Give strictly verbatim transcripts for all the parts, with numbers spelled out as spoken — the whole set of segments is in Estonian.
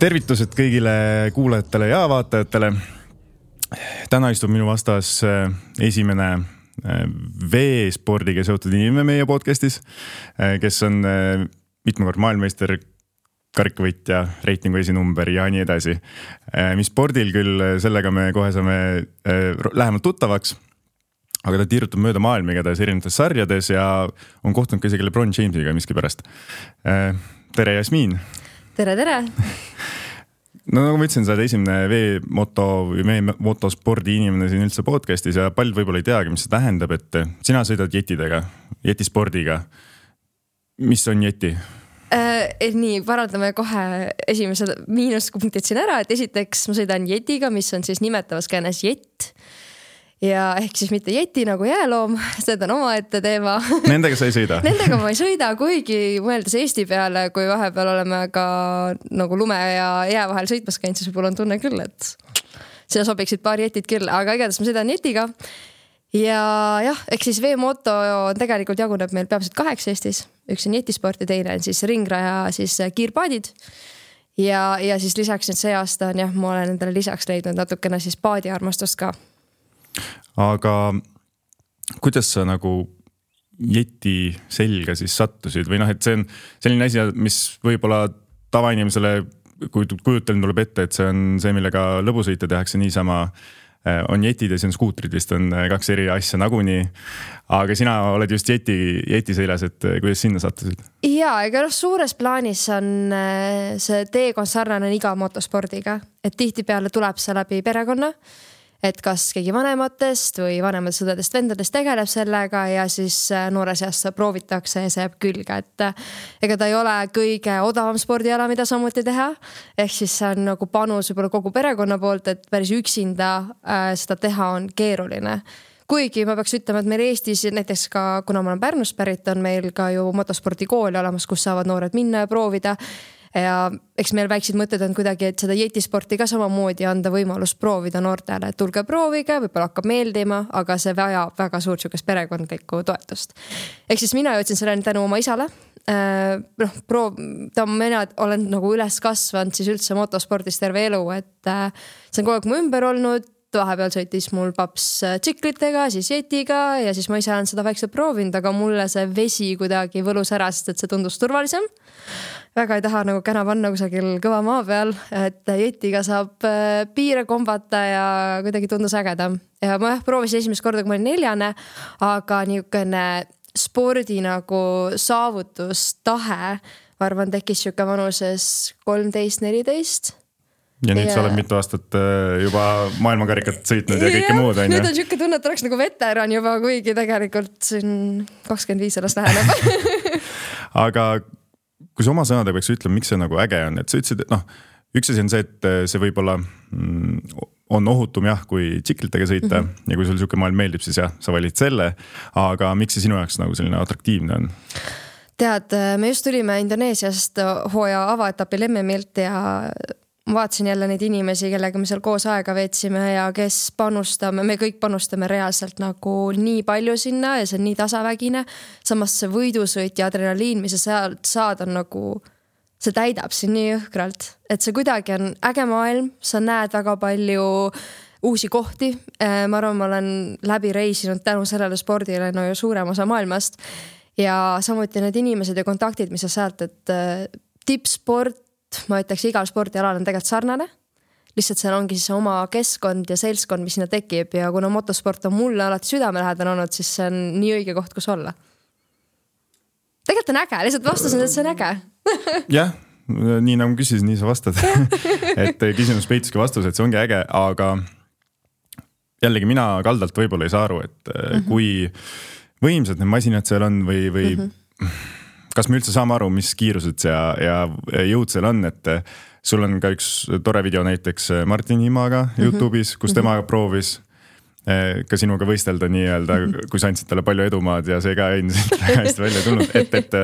Tervitused kõigile kuulajatele ja vaatajatele. Täna istub minu vastas esimene veespordiga seotud inimene meie podcastis, kes on mitmekord maailmameister, karikavõitja, reitingu esinumber ja nii edasi. Mis spordil küll, sellega me kohe saame lähemalt tuttavaks, aga ta tiirutab mööda maailma igatahes erinevates sarjades ja on kohtunud ka isegi LeBron Jamesiga miski pärast. Tere, Jasmiin! Tere, tere! No nagu ma ütlesin, sa oled esimene V-moto või meie motospordi inimene siin üldse podcastis ja paljud võib-olla ei teagi, mis see tähendab, et sina sõidad jetidega, jetispordiga. Mis on jeti? Äh, nii, parandame kohe esimesed miinuspunktid siin ära, et esiteks ma sõidan jetiga, mis on siis nimetavas käänes jett. Ja ehk siis mitte jeti nagu jääloom, seda on oma ette teema. Nendega sa ei sõida? Nendega ma ei sõida, kuigi mõeldes Eesti peale, kui vahepeal oleme ka nagu lume ja jää vahel sõitmas käinud, siis võib-olla on tunne küll, et sinna sobiksid paar jetid küll, aga igatahes ma sõidan jetiga. Ja jah, ehk siis V-moto tegelikult jaguneb meil peamiselt kaheks Eestis. Üks on jetisport ja teine on siis ringraja, siis kiirpaadid. Ja, ja siis lisaks nüüd see aasta on jah, ma olen endale lisaks leidnud natukene siis paadi armastust ka. Aga kuidas sa nagu jeti selga siis sattusid või noh, et see on selline asi, mis võib-olla tavainimesele kujuteln tuleb ette, et see on see, millega lõbusõite tehakse niisama, on jetid ja see on skuutrid, vist on kaks eri asja nagunii, aga sina oled just jeti, jeti seljas, et kuidas sinna sattusid? Jaa, ega noh, suures plaanis on see teekond sarnane iga motospordiga, et tihti peale tuleb see läbi perekonna, et kas keegi vanematest või vanematest sõdadest vendadest tegeleb sellega ja siis noore seast proovitakse ja see jääb külge, et ega ta ei ole kõige odavam spordiala, mida samuti teha. Ehk siis see on nagu panus võib-olla kogu perekonna poolt, et päris üksinda äh, seda teha on keeruline. Kuigi ma peaks ütlema, et meil Eestis näiteks ka, kuna ma olen Pärnust pärit, on meil ka ju motospordikooli olemas, kus saavad noored minna ja proovida. Ja eks meil väiksid mõtted on kuidagi, et seda jetisporti ka samamoodi anda võimalus proovida noortele, et tulge proovige, võib-olla hakkab meeldima, aga see vajab väga suurt sükest perekondlikku toetust. Ehk siis mina jõudsin selleni tänu oma isale. Äh, noh, proov, ta mina olen nagu üles kasvanud siis üldse motospordis terve elu, et äh, see on kogu aeg mu ümber olnud. Vahepeal sõitis mul paps tsiklitega, siis jetiga ja siis ma ise olen seda väikselt proovinud, aga mulle see vesi kuidagi võlus ära, sest et see tundus turvalisem. Väga ei taha nagu käna panna kusagil kõva maa peal, et jetiga saab piire kombata ja kuidagi tundus ägedam. Ja ma jah, proovisin esimest korda, kui ma olin neljane, aga niisugune spordi nagu saavutustahe, ma arvan, tekkis siuke vanuses kolmteist neliteist. Ja nüüd ja... sa oled mitu aastat juba maailmakarikat sõitnud ja, ja kõike muud. Nüüd on siuke tunne, et oleks nagu veteran juba, kuigi tegelikult siin kakskümmend viis alles läheneb. Aga kui sa oma sõnadega peaks ütlema, miks see nagu äge on, et sa ütlesid, et noh, üks asi on see, et see võib-olla on ohutum jah, kui tsiklitega sõita mm-hmm. ja kui sul siuke maailm meeldib, siis jah, sa valid selle, aga miks see sinu jaoks nagu selline atraktiivne on? Tead, me just tulime Indoneesiast hooaja avaetapil M M-ilt ja vaatasin jälle neid inimesi, kellega me seal koos aega veetsime ja kes panustame, me kõik panustame reaalselt nagu nii palju sinna ja see on nii tasavägine. Samas see võidusõit ja adrenaliin, mis sa sealt saad, on nagu, see täidab siin nii jõhkralt. Et see kuidagi on äge maailm, sa näed väga palju uusi kohti. Ma arvan, ma olen läbi reisinud tänu sellele spordile no ju suurem osa maailmast. Ja samuti need inimesed ja kontaktid, mis sa sealt, et tippsport, ma ütleks, igal spordialal on tegelikult sarnane. Lihtsalt seal ongi siis oma keskkond ja seltskond, mis sinna tekib ja kuna motosport on mulle alati südamelähedane olnud, siis see on nii õige koht, kus olla. Tegelikult on äge, lihtsalt vastasin, et see on äge. Jah, nii nagu küsisin, nii sa vastad. Et küsimus peituski vastus, et see ongi äge, aga jällegi mina kaldalt võib-olla ei saa aru, et mm-hmm. kui võimsad need masinad seal on või, või mm-hmm. kas me üldse saame aru, mis kiirused ja, ja jõud seal on, et sul on ka üks tore video näiteks Martin Himaga mm-hmm. YouTube'is, kus tema mm-hmm. proovis ka sinuga võistelda nii-öelda, mm-hmm. kui sa andsid talle palju edumaad ja see ka ei väga hästi välja tulnud, et, et,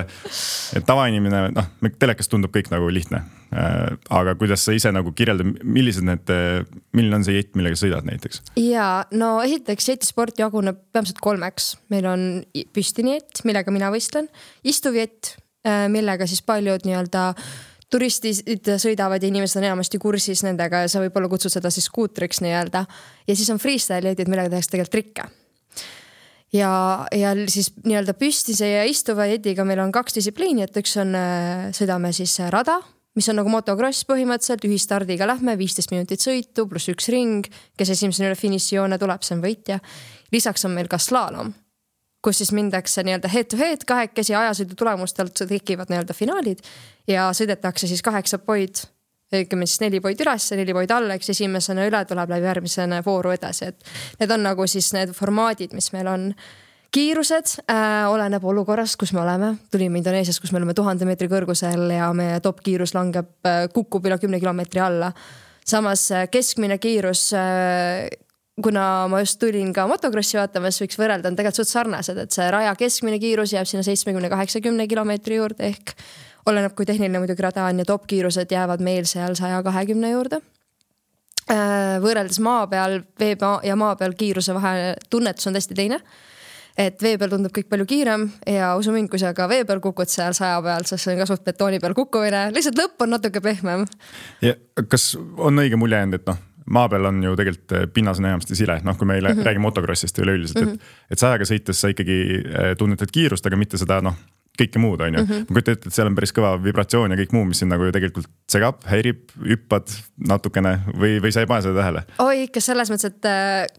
et tavainimene, noh, telekas tundub kõik nagu lihtne, aga kuidas sa ise nagu kirjelda, millised need, milline on see jett, millega sõidad näiteks? Jaa, no esiteks jetisport jaguneb peamiselt kolmeks. Meil on püstini jett, millega mina võistlen, istuv jett, millega siis paljud nii-öelda turistid sõidavad ja inimesed on enamasti kursis nendega ja sa võib-olla kutsud seda siis skuutriks nii-öelda. Ja siis on freestyle jetid, millega tehakse tegelikult trikke. Ja, ja siis nii-öelda püstise ja istuva jetiga meil on kaks distsipliini, et üks on, sõidame siis rada, mis on nagu motocross põhimõtteliselt, ühistardiga lähme, viisteist minutit sõitu, pluss üks ring, kes esimesena üle finišijoone tuleb, see on võitja. Lisaks on meil ka slaalom, kus siis mindakse nii-öelda head to head, kahekesi ajasõidu tulemustelt tekivad nii-öelda finaalid ja sõidetakse siis kaheksa poid, õigemini siis neli poid üles, neli poid alla, eks esimesena üle tuleb läbi järgmisena vooru edasi, et need on nagu siis need formaadid, mis meil on. Kiirused äh, oleneb olukorrast, kus me oleme. Tulime Indoneesias, kus me oleme tuhande meetri kõrgusel ja meie top kiirus langeb, äh, kukub üle kümne kilomeetri alla. Samas äh, keskmine kiirus äh, kuna ma just tulin ka motocrossi vaatamas, võiks võrrelda, on tegelikult suht sarnased, et see raja keskmine kiirus jääb sinna seitsmekümne kaheksakümne kilomeetri juurde ehk oleneb, kui tehniline muidugi rada on ja top kiirused jäävad meil seal saja kahekümne juurde. Võrreldes maa peal, vee ja maa peal kiiruse vahe tunnetus on tõesti teine. Et vee peal tundub kõik palju kiirem ja usu mind, kui sa ka vee peal kukud seal saja peal, siis see on ka suht betooni peal kukkumine, lihtsalt lõpp on natuke pehmem. Ja kas on õige mulje jäänud, et noh, maa peal on ju tegelikult pinnas on enamasti sile, noh kui me mm -hmm. räägime motocrossist üleüldiselt, et, et sajaga sõites sa ikkagi tunnetad kiirust, aga mitte seda noh, kõike muud on ju. Mm -hmm. Ma kujutan ette, et seal on päris kõva vibratsioon ja kõik muu, mis siin nagu ju tegelikult segab, häirib, hüppad natukene või, või sa ei pane seda tähele? Oi, ikka selles mõttes, et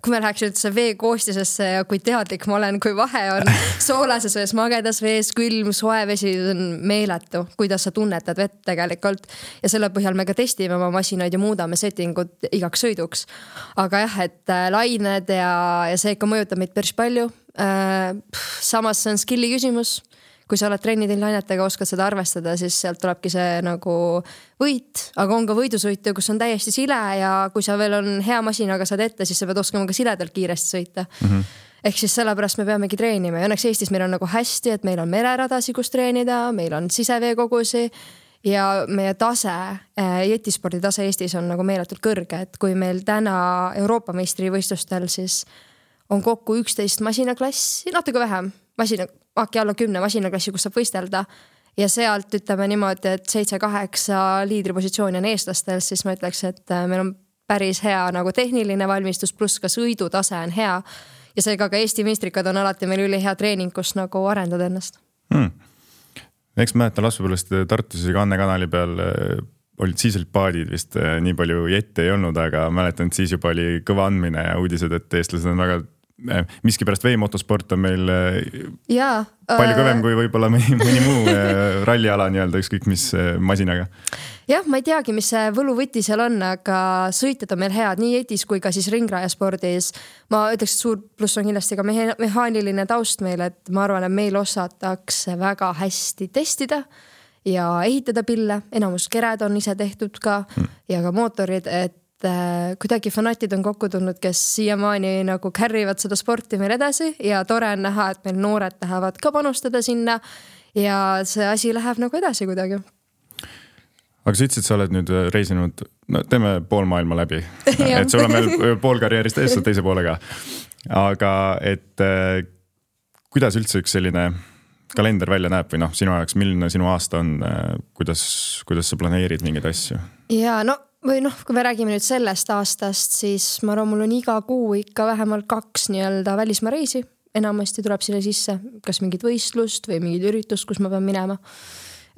kui me läheks üldse vee koostisesse ja kui teadlik ma olen, kui vahe on soolases vees, magedas vees, külm, soe vesi on meeletu, kuidas sa tunnetad vett tegelikult. Ja selle põhjal me ka testime oma masinaid ja muudame settingut igaks sõiduks. Aga jah, et lained ja, ja see ikka mõjutab meid päris palju. Samas see on skilli küsimus. Kui sa oled trennidel lainetega, oskad seda arvestada, siis sealt tulebki see nagu võit, aga on ka võidusõitu, kus on täiesti sile ja kui sa veel on hea masinaga saad ette, siis sa pead oskama ka siledalt kiiresti sõita. Mm -hmm. Ehk siis sellepärast me peamegi treenima ja õnneks Eestis meil on nagu hästi, et meil on mereradasi, kus treenida, meil on siseveekogusi ja meie tase, jetispordi tase Eestis on nagu meeletult kõrge, et kui meil täna Euroopa meistrivõistlustel siis on kokku üksteist masinaklassi, natuke vähem, masina äkki alla kümne masinaklassi, kus saab võistelda ja sealt ütleme niimoodi, et seitse kaheksa liidripositsiooni on eestlastel, siis ma ütleks, et meil on päris hea nagu tehniline valmistus, pluss ka sõidutase on hea ja seega ka Eesti meistrikad on alati meil üli hea treening, kus nagu arendada ennast. Hmm. Eks mäletan laspupõlvest Tartus ja Anne kanali peal olid siis olid paadid vist nii palju jette ei olnud, aga mäletan, et siis juba oli kõva andmine ja uudised, et eestlased on väga miski pärast veemotosport on meil ja, palju kõvem kui võib-olla mõni, mõni muu ralliala nii-öelda ükskõik mis masinaga. Jah, ma ei teagi, mis see võluvõti seal on, aga sõitjad on meil head nii jetis kui ka siis ringrajaspordis. Ma ütleks, et suur pluss on kindlasti ka mehaaniline taust meil, et ma arvan, et meil osatakse väga hästi testida ja ehitada pille. Enamus kered on ise tehtud ka hmm. ja ka mootorid, et kuidagi fanatid on kokku tulnud, kes siiamaani nagu carrivad seda sporti meil edasi ja tore on näha, et meil noored tahavad ka panustada sinna ja see asi läheb nagu edasi kuidagi. Aga sa ütlesid, sa oled nüüd reisinud, no teeme pool maailma läbi, et sul on veel pool karjäärist ees, teise poolega. Aga et kuidas üldse üks selline kalender välja näeb või noh, sinu ajaks, milline sinu aasta on, kuidas, kuidas sa planeerid mingeid asju? Ja no või noh, kui me räägime nüüd sellest aastast, siis ma arvan, mul on iga kuu ikka vähemalt kaks nii-öelda välismaa reisi. Enamasti tuleb sinna sisse kas mingid võistlust või mingid üritust, kus ma pean minema.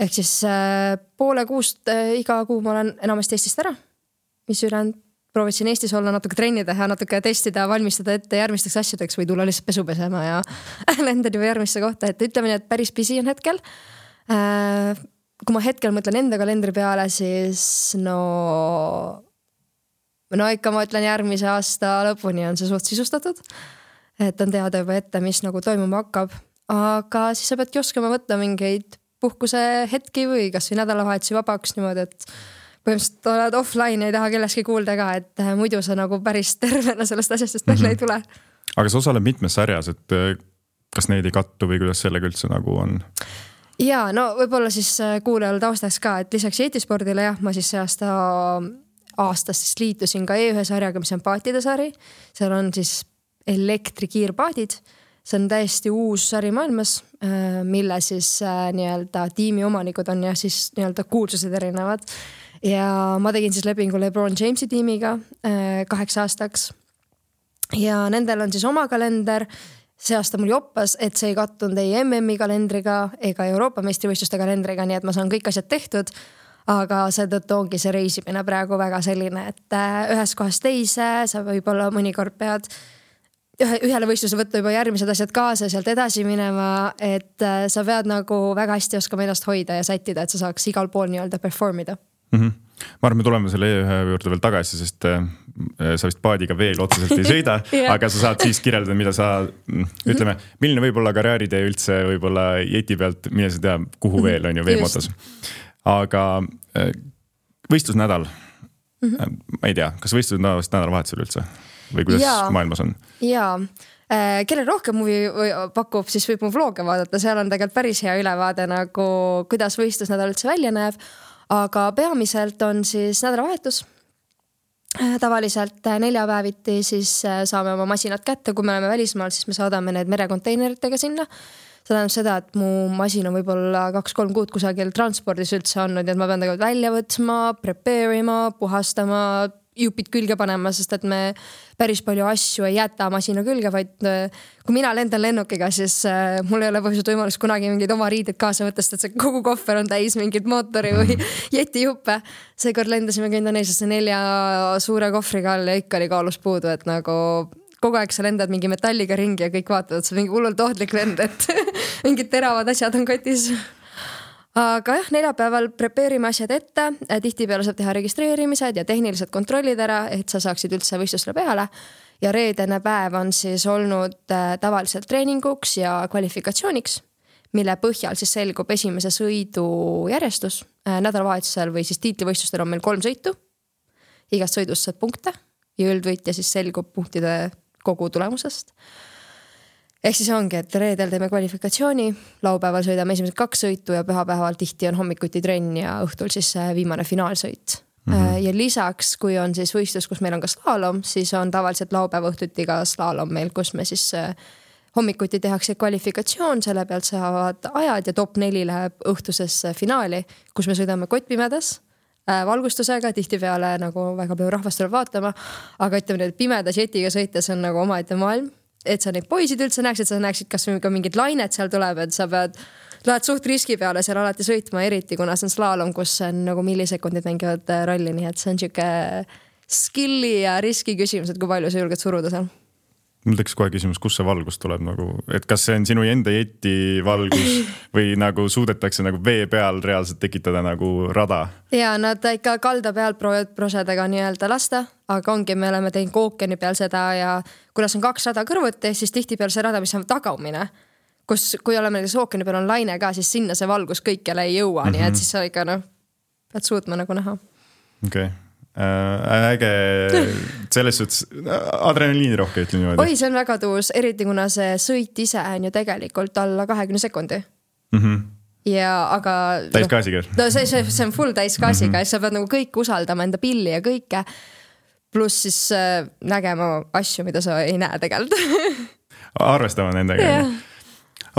Ehk siis äh, poole kuust äh, iga kuu ma olen enamasti Eestist ära, mis ülejäänud proovisin Eestis olla natuke trennida ja natuke testida, valmistada ette järgmisteks asjadeks või tulla lihtsalt pesu pesema ja lendan juba järgmisse kohta, et ütleme nii, et päris pisi on hetkel. Äh, kui ma hetkel mõtlen enda kalendri peale, siis no, no ikka ma ütlen järgmise aasta lõpuni on see suht sisustatud, et on teada juba ette, mis nagu toimuma hakkab, aga siis sa peadki oskama võtta mingeid puhkuse hetki või kas või nädalavahetsi vabaks niimoodi, et põhimõtteliselt oled offline, ei taha kelleski kuulda ka, et muidu sa nagu päris tervena sellest asjast välja ei tule. Aga sa osaled mitmes sarjas, et kas neid ei kattu või kuidas sellega üldse nagu on? Ja, no võib-olla siis kuulajal taustaks ka, et lisaks jetispordile jah, ma siis see aasta aastast siis liitusin ka E ühe sarjaga, mis on paatide sari. Seal on siis elektrikiirpaadid. see on täiesti uus sari maailmas, mille siis nii-öelda tiimi omanikud on ja siis nii-öelda kuulsused erinevad. Ja ma tegin siis lepingu LeBron Jamesi tiimiga kaheks aastaks. Ja nendel on siis oma kalender. See aasta mul joppas, et see ei kattunud ei M M-i kalendriga ega Euroopa meistrivõistluste kalendriga, nii et ma saan kõik asjad tehtud. Aga seetõttu ongi see reisimine praegu väga selline, et ühes kohas teise, sa võib-olla mõnikord pead ühe, ühele võistluse võtta juba järgmised asjad kaasa ja sealt edasi minema, et sa pead nagu väga hästi oskama ennast hoida ja sättida, et sa saaks igal pool nii-öelda performida. Mm-hmm. Ma arvan, me tuleme selle E ühe juurde veel tagasi, sest äh, sa vist paadiga veel otseselt ei sõida, yeah. Aga sa saad siis kirjeldada, mida sa, ütleme, milline võib olla karjääritee üldse võib-olla jeti pealt, mille sa tead, kuhu veel on ju veemotos. Aga äh, võistlusnädal, mm-hmm. ma ei tea, kas võistlus nädalavahetusel üldse või kuidas ja. Maailmas on? Jaa. Kellel rohkem muvi pakub, siis võib mu vlooge vaadata, seal on tegelikult päris hea ülevaade nagu kuidas võistlusnädal üldse välja näeb. Aga peamiselt on siis nädalavahetus. Tavaliselt neljapäeviti siis saame oma masinad kätte, kui me oleme välismaal, siis me saadame need merekonteineritega sinna. See tähendab seda, et mu masin on võib-olla kaks-kolm kuud kusagil transpordis üldse olnud, et ma pean tegelikult välja võtma, prepare ima, puhastama, jupid külge panema, sest et me päris palju asju ei jäta masina külge, vaid kui mina lendan lennukiga, siis mul ei ole põhjused võimalust kunagi mingid oma riided kaasa võtta, sest et see kogu kohver on täis mingid mootori või jeti juppe. Seekord lendasime Indoneesiasse nelja suure kohvriga all ja ikka oli kaalus puudu, et nagu kogu aeg sa lendad mingi metalliga ringi ja kõik vaatavad, et see on mingi hullult ohtlik lend, et mingid teravad asjad on kotis. Aga jah, neljapäeval prepeerime asjad ette, tihtipeale saab teha registreerimised ja tehnilised kontrollid ära, et sa saaksid üldse võistlusele peale. Ja reedene päev on siis olnud tavaliselt treeninguks ja kvalifikatsiooniks, mille põhjal siis selgub esimese sõidu järjestus. Nädalavahetusel või siis tiitlivõistlustel on meil kolm sõitu. Igast sõidust saab punkte ja üldvõitja siis selgub punktide kogu tulemusest. Ehk siis ongi, et reedel teeme kvalifikatsiooni, laupäeval sõidame esimesed kaks sõitu ja pühapäeval tihti on hommikuti trenn ja õhtul siis viimane finaalsõit. Mm-hmm. Ja lisaks, kui on siis võistlus, kus meil on ka slaalom, siis on tavaliselt laupäeva õhtuti ka slaalom meil, kus me siis hommikuti tehakse kvalifikatsioon, selle pealt saavad ajad ja top neli läheb õhtusesse finaali, kus me sõidame kottpimedas valgustusega, tihtipeale nagu väga palju rahvast tuleb vaatama, aga ütleme, et pimedas jetiga sõites on nagu omaette maailm. Et sa neid poisid üldse näeksid, sa näeksid, kas ka mingid lainet seal tuleb, et sa pead, lähed suht riski peale seal alati sõitma, eriti kuna see on slaalom, kus on nagu millisekundid mängivad rolli, nii et see on siuke skilli ja riski küsimus, et kui palju sa julged suruda seal. Mul tekkis kohe küsimus, kus see valgus tuleb nagu, et kas see on sinu enda jeti valgus või nagu suudetakse nagu vee peal reaalselt tekitada nagu rada? Ja nad ikka kalda peal proovivad prosedega nii-öelda lasta, aga ongi, me oleme teinud ookeani peal seda ja kuna on kaks rada kõrvuti, siis tihti peal see rada, mis on tagaumine, kus kui oleme näiteks ookeani peal on laine ka, siis sinna see valgus kõikjale ei jõua, mm-hmm. nii et siis sa ikka noh, pead suutma nagu näha. Okei. Okay. Äh, äge selles suhtes adrenaliini rohke ütleme niimoodi. Oi, see on väga tuus, eriti kuna see sõit ise on ju tegelikult alla kahekümne sekundi. Mm-hmm. Ja aga täiskaasiga. No, see, see, see on full täiskaasiga mm-hmm. ja sa pead nagu kõik usaldama enda pilli ja kõike. Pluss siis äh, nägema asju, mida sa ei näe tegelikult. Arvestama nendega. Yeah.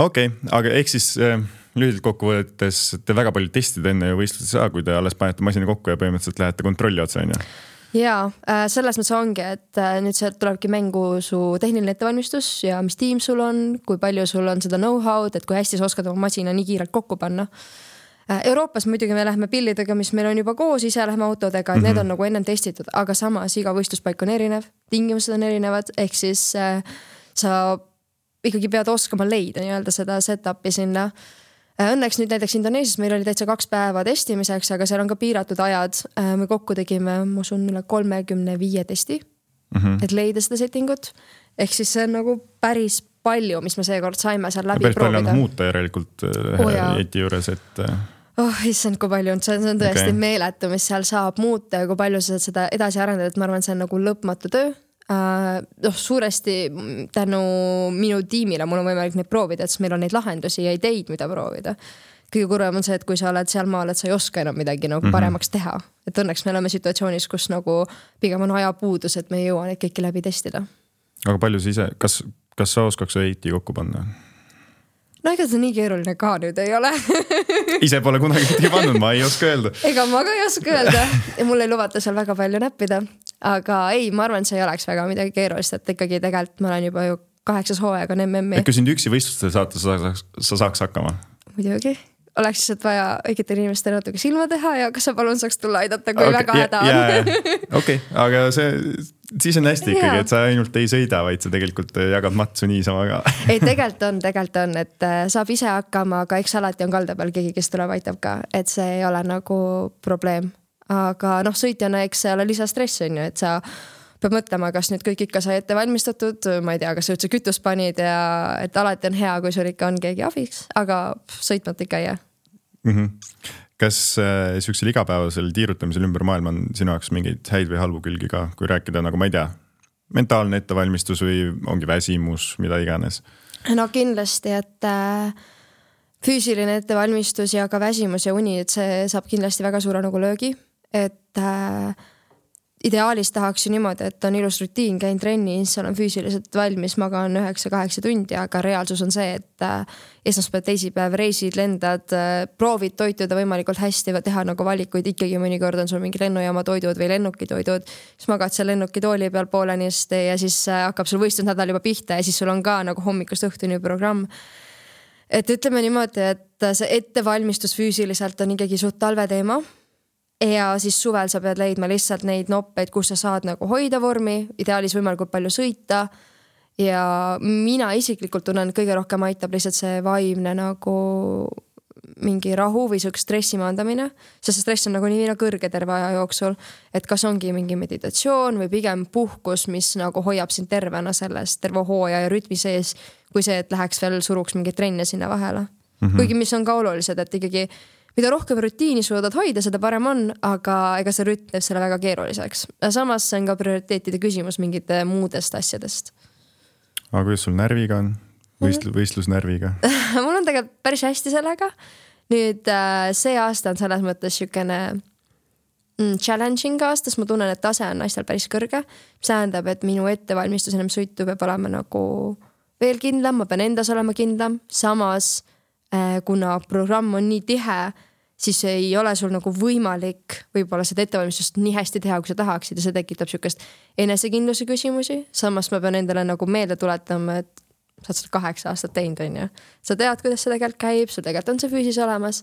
Okei, okay, aga ehk siis äh, lühidalt kokku võttes te väga palju testid enne ju võistlusi saa, kui te alles panete masina kokku ja põhimõtteliselt lähete kontrolli otsa, on ju? Jaa, äh, selles mõttes ongi, et äh, nüüd sealt tulebki mängu su tehniline ettevalmistus ja mis tiim sul on, kui palju sul on seda know-how'd, et kui hästi sa oskad oma masina nii kiirelt kokku panna. Euroopas muidugi me lähme pillidega, mis meil on juba koos, ise lähme autodega, et mm-hmm. need on nagu ennem testitud, aga samas iga võistluspaik on erinev, tingimused on erinevad, ehk siis äh, sa ikkagi pead oskama leida nii-öelda seda set-upi sinna. Äh, õnneks nüüd näiteks Indoneesias meil oli täitsa kaks päeva testimiseks, aga seal on ka piiratud ajad. Äh, me kokku tegime, ma usun, üle kolmekümne viie testi, mm-hmm. et leida seda settingut. Ehk siis see on nagu päris palju, mis me seekord saime seal läbi päris proovida. Päris palju on muuta järelikult oh, jeti juures, et... Oh, issand, kui palju on, see on tõesti okay. meeletu, mis seal saab muuta ja kui palju sa seda edasi arendada, et ma arvan, see on nagu lõpmatu töö. Uh, noh, suuresti tänu minu tiimile mul on võimalik neid proovida, et meil on neid lahendusi ja ideid, mida proovida. Kõige kurvem on see, et kui sa oled seal maal, et sa ei oska enam midagi nagu mm-hmm. paremaks teha. Et õnneks me oleme situatsioonis, kus nagu pigem on ajapuudus, et me ei jõua neid kõiki läbi testida. Aga palju sa ise, kas kas sa oskaks eiti kokku panna? No ega see nii keeruline ka nüüd ei ole. Ise pole kunagi midagi pannud, ma ei oska öelda. Ega ma ka ei oska öelda. Ja mul ei lubata seal väga palju näppida. Aga ei, ma arvan, see ei oleks väga midagi keerulist, et ikkagi tegelikult ma olen juba ju kaheksas hooaeg on M M-i. Et kui sind üksi võistlustel saata, sa saaks, sa saaks hakkama? Muidugi. Oleks lihtsalt vaja õigetel inimestel natuke silma teha ja kas sa palun saaks tulla aidata, kui okay, väga häda on. Okei, okay, aga see, siis on hästi ikkagi, et sa ainult ei sõida, vaid sa tegelikult jagad matsu niisama ka. Ei, tegelikult on, tegelikult on, et saab ise hakkama, aga eks alati on kalda peal keegi, kes tuleb aitab ka, et see ei ole nagu probleem. Aga noh, sõitjana eks see ole lisastress on ju, et sa peab mõtlema, kas nüüd kõik ikka sai ette valmistatud, ma ei tea, kas sa üldse kütus panid ja et alati on hea, kui sul ikka on keegi abiks, aga sõitmata ikka ei jää. Mm-hmm. Kas äh, süksil igapäevasel tiirutamisel ümber maailma on sinu jaoks mingeid häid või halbu külgi ka, kui rääkida nagu ma ei tea, mentaalne ettevalmistus või ongi väsimus, mida iganes? No kindlasti, et äh, füüsiline ettevalmistus ja ka väsimus ja uni, et see saab kindlasti väga suure nagu löögi, et äh, ideaalis tahaks ju niimoodi, et on ilus rutiin, käin trennis, olen füüsiliselt valmis, magan üheksa kaheksa tundi, aga reaalsus on see, et esmaspäev, teisipäev, reisid, lendad, proovid toituda võimalikult hästi, teha nagu valikuid, ikkagi mõnikord on sul mingi lennujaama toidud või lennuki toidud, siis magad seal lennuki tooli peal poolenisti ja siis hakkab sul võistlusnädal juba pihta ja siis sul on ka nagu hommikust õhtuni programm. Et ütleme niimoodi, et see ettevalmistus füüsiliselt on ikkagi suht talve teema. Ja siis suvel sa pead leidma lihtsalt neid noppeid, kus sa saad nagu hoida vormi, ideaalis võimalikult palju sõita. Ja mina isiklikult tunnen, kõige rohkem aitab lihtsalt see vaimne nagu mingi rahu või siuke stressi maandamine. Sest see stress on nagu nii kõrge terve aja jooksul, et kas ongi mingi meditatsioon või pigem puhkus, mis nagu hoiab sind tervena sellest terve hooaja ja rütmi sees, kui see, et läheks veel suruks mingi trenne sinna vahele. Mm-hmm. Kuigi mis on ka olulised, et ikkagi mida rohkem rutiini suudad hoida, seda parem on, aga ega see rütm teeb selle väga keeruliseks. Samas see on ka prioriteetide küsimus mingite muudest asjadest. Aga kuidas sul närviga on? Võistlu, võistlusnärviga? Mul on tegelikult päris hästi sellega. Nüüd see aasta on selles mõttes sükene challenging aastas. Ma tunnen, et tase on naistel päris kõrge. See tähendab, et minu ettevalmistus enam sõitu peab olema nagu veel kindlam. Ma pean endas olema kindlam. Samas kuna programm on nii tihe, siis ei ole sul nagu võimalik võib-olla seda ettevalmistust nii hästi teha, kui sa tahaksid ja see tekitab sükest enesekindluse küsimusi. Samas ma pean endale nagu meelde tuletama, et sa oled seda kaheksa aastat teinud, on ju. Sa tead, kuidas see tegelikult käib, sul tegelikult on see füüsis olemas.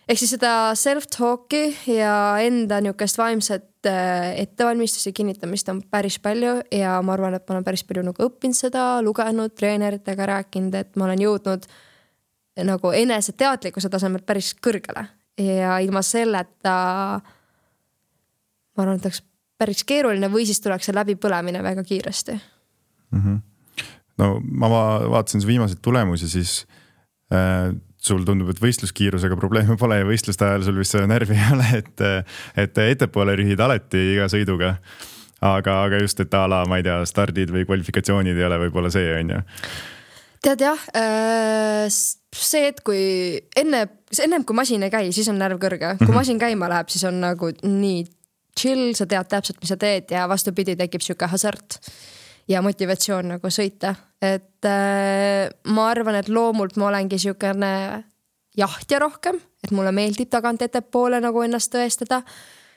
Ehk siis seda self-talki ja enda niukest vaimset ettevalmistusi kinnitamist on päris palju ja ma arvan, et ma olen päris palju nagu õppinud seda, lugenud, treeneritega rääkinud, et ma olen jõudnud nagu enese teadlikkuse tasemel päris kõrgele ja ilma selleta ma arvan, et oleks päris keeruline või siis tuleks see läbi põlemine väga kiiresti. Mm-hmm. No ma vaatasin see viimaseid tulemusi, siis äh, sul tundub, et võistluskiirusega probleeme pole ja võistluste ajal sul vist närvi ei ole, et, et ettepoole rühid alati iga sõiduga. Aga, aga just, et ala, ma ei tea, stardid või kvalifikatsioonid ei ole võib-olla see, on ju. Tead jah, see, et kui enne, enne kui masin ei käi, siis on närv kõrge. Kui masin käima läheb, siis on nagu nii chill, sa tead täpselt, mis sa teed ja vastupidi tekib siuke hasart ja motivatsioon nagu sõita. Et äh, ma arvan, et loomult ma olengi siukene jahtja rohkem, et mulle meeldib tagant ettepoole nagu ennast tõestada.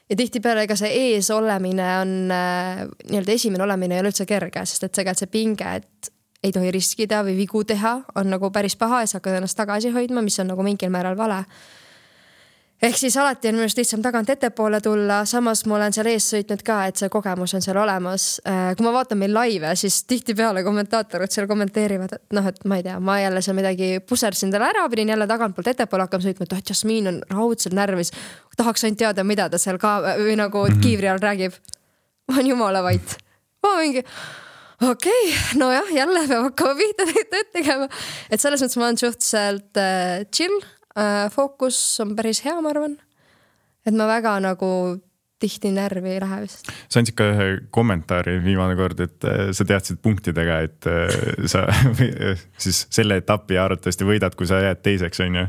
Ja tihti peale ega see ees olemine on äh, nii-öelda esimene olemine ei ole üldse kerge, sest et see, see pinge, et ei tohi riskida või vigu teha, on nagu päris paha ja sa hakkad ennast tagasi hoidma, mis on nagu mingil määral vale. Ehk siis alati on minust lihtsam tagant ettepoole tulla, samas ma olen seal ees sõitnud ka, et see kogemus on seal olemas. Kui ma vaatan meil laive, siis tihti peale kommentaatorid seal kommenteerivad, et noh, et ma ei tea, ma jälle seal midagi pusersin talle ära, pidin jälle tagantpoolt ettepoole hakkama sõitma, et Jasmin on raudselt närvis, tahaks ainult teada, mida ta seal ka või nagu kiivri all räägib. Ma on jumala vait. Ma mingi... Okei, okay, no jah, jälle peab hakkama pihta tööd tegema. Et selles mõttes ma olen suhteliselt äh, chill, äh, fookus on päris hea, ma arvan. Et ma väga nagu tihti närvi ei lähe vist. Sa andsid ka ühe kommentaari viimane kord, et sa teadsid punktidega, et sa siis selle etapi arvatavasti võidad, kui sa jääd teiseks, on ju.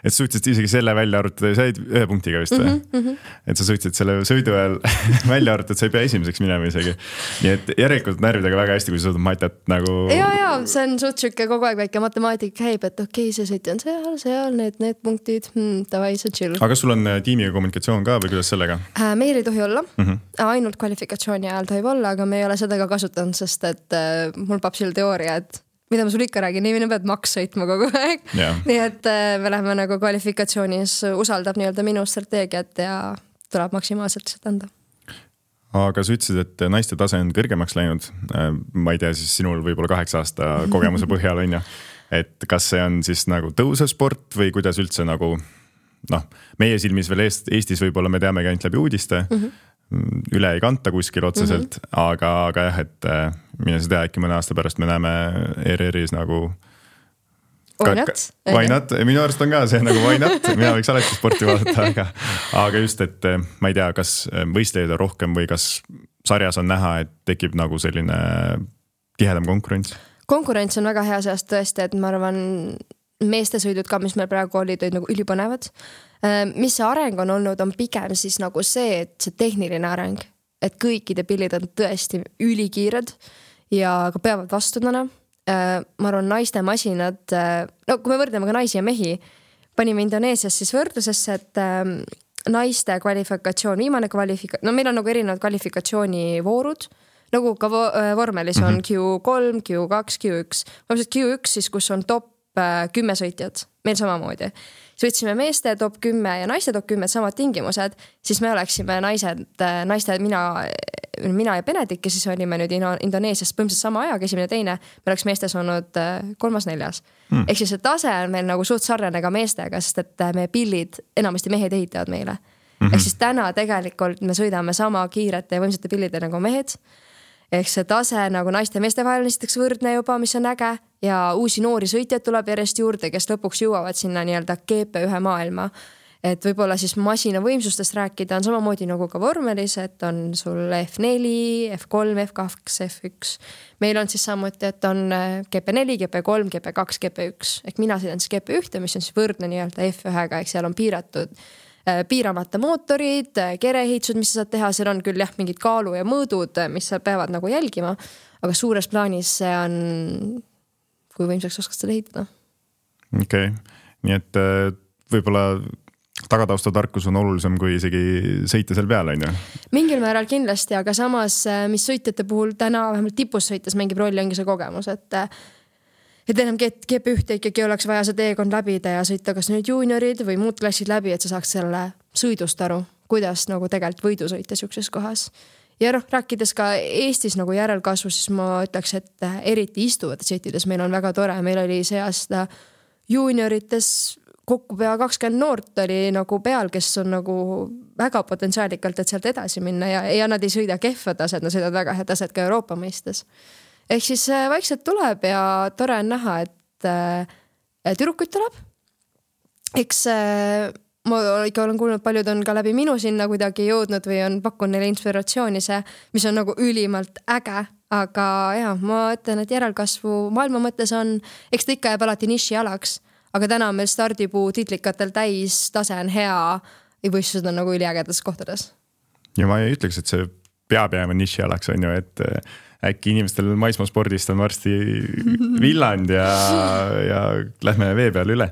Et suutsid isegi selle välja arvutada ja sa jäid ühe punktiga vist või? Mm -hmm. Et sa suutsid selle sõidu ajal välja arvutada, et sa ei pea esimeseks minema isegi. Nii et järelikult närvidega väga hästi, kui sa suudad matat nagu... Ja, ja, see on suht sükke kogu aeg väike matemaatik käib, et okei, okay, see sõit on seal, seal, need, need punktid, hmm, tavai, see chill. Aga kas sul on tiimiga kommunikatsioon ka või kuidas sellega? Äh, meil ei tohi olla, mm -hmm. ainult kvalifikatsiooni ajal tohib olla, aga me ei ole seda ka kasutanud, sest et äh, mul papsil teooria, et mida ma sul ikka räägin, ei mine pead maks sõitma kogu aeg yeah.. Nii et äh, me läheme nagu kvalifikatsioonis, usaldab nii-öelda minu strateegiat ja tuleb maksimaalselt lihtsalt anda. Aga sa ütlesid, et naiste tase on kõrgemaks läinud, ma ei tea, siis sinul võib-olla kaheksa aasta kogemuse põhjal on ju, et kas see on siis nagu tõusev sport või kuidas üldse nagu noh, meie silmis veel Eestis võib-olla me teamegi ainult läbi uudiste, mm -hmm. üle ei kanta kuskil otseselt, mm -hmm. aga, aga jah, et mine sa tea, äkki mõne aasta pärast me näeme E R R-is nagu why not? Why not? Minu arust on ka see nagu why not, mina võiks alati sporti vaadata, aga, aga just, et ma ei tea, kas võistlejaid on rohkem või kas sarjas on näha, et tekib nagu selline tihedam konkurents? Konkurents on väga hea seast tõesti, et ma arvan meestesõidud ka, mis meil praegu olid, olid nagu ülipõnevad. Mis see areng on olnud, on pigem siis nagu see, et see tehniline areng, et kõikide pillid on tõesti ülikiired ja ka peavad vastudena. Ma arvan, naiste masinad, no kui me võrdleme ka naisi ja mehi, panime Indoneesias siis võrdlusesse, et naiste kvalifikatsioon, viimane kvalifikatsioon, no meil on nagu erinevad kvalifikatsioonivoorud, nagu ka vormelis on Q kolm, Q kaks, Q üks. Q üks siis, kus on top kümme sõitjad, meil samamoodi. Sõitsime meeste top kümme ja naiste top kümme samad tingimused, siis me oleksime naised, naiste, mina, mina ja Benedik, ja siis olime nüüd Indoneesias põhimõtteliselt sama ajaga, esimene teine, me oleks meestes olnud kolmas neljas. Hmm. Ehk siis see tase on meil nagu suht sarnane ka meestega, sest et meie pillid, enamasti mehed ehitavad meile. Mm-hmm. Ehk siis täna tegelikult me sõidame sama kiirete ja võimsate pillide nagu mehed. Ehk see tase nagu naiste ja meeste vahel näiteks võrdne juba, mis on äge, ja uusi noori sõitjad tuleb järjest juurde, kes lõpuks jõuavad sinna nii-öelda G P ühe maailma. Et võib-olla siis masina võimsustest rääkida on samamoodi nagu ka vormelis, et on sul F neli, F kolm, F kaks, F üks. Meil on siis samuti, et on G P neli, G P kolm, G P kaks, G P üks. Ehk mina sõidan siis G P üks, mis on siis võrdne nii-öelda F ühega, ehk seal on piiratud piiramata mootorid, kereehiitsud, mis sa saad teha, seal on küll jah, mingid kaalu ja mõõdud, mis sa peavad nagu jälgima, aga suures plaanis see on, kui võimsaks oskad seda ehitada. Okei, okay. Nii et võib-olla tagataustatarkus on olulisem kui isegi sõita seal peal, on ju? Mingil määral kindlasti, aga samas, mis sõitjate puhul täna vähemalt tipus sõites mängib rolli ongi see kogemus, et et enam G P üks ikkagi oleks vaja see teekond läbida ja sõita kas nüüd juuniorid või muud klassid läbi, et sa saaks selle sõidust aru, kuidas nagu tegelikult võidu sõita siukses kohas. Ja noh, rääkides ka Eestis nagu järelkasvu, siis ma ütleks, et eriti istuvates sõitides meil on väga tore. Meil oli see aasta juuniorites kokku pea kakskümmend noort oli nagu peal, kes on nagu väga potentsiaalikalt, et sealt edasi minna ja, ja nad ei sõida kehva taset, nad sõidavad väga hea taset ka Euroopa mõistes. Ehk siis vaikselt tuleb ja tore on näha, et tüdrukuid tuleb. Eks ma ikka olen kuulnud, paljud on ka läbi minu sinna kuidagi jõudnud või on pakkunud neile inspiratsiooni see, mis on nagu ülimalt äge. Aga jah, ma ütlen, et järelkasvu maailma mõttes on, eks ta ikka jääb alati niši alaks, aga täna on meil stardipuu titlikatel täis, tase on hea ja võistlused on nagu üliägedas kohtades. Ja ma ei ütleks, et see peab jääma niši alaks, on ju, et äkki inimestel maismaaspordist on varsti villand ja, ja lähme vee peale üle.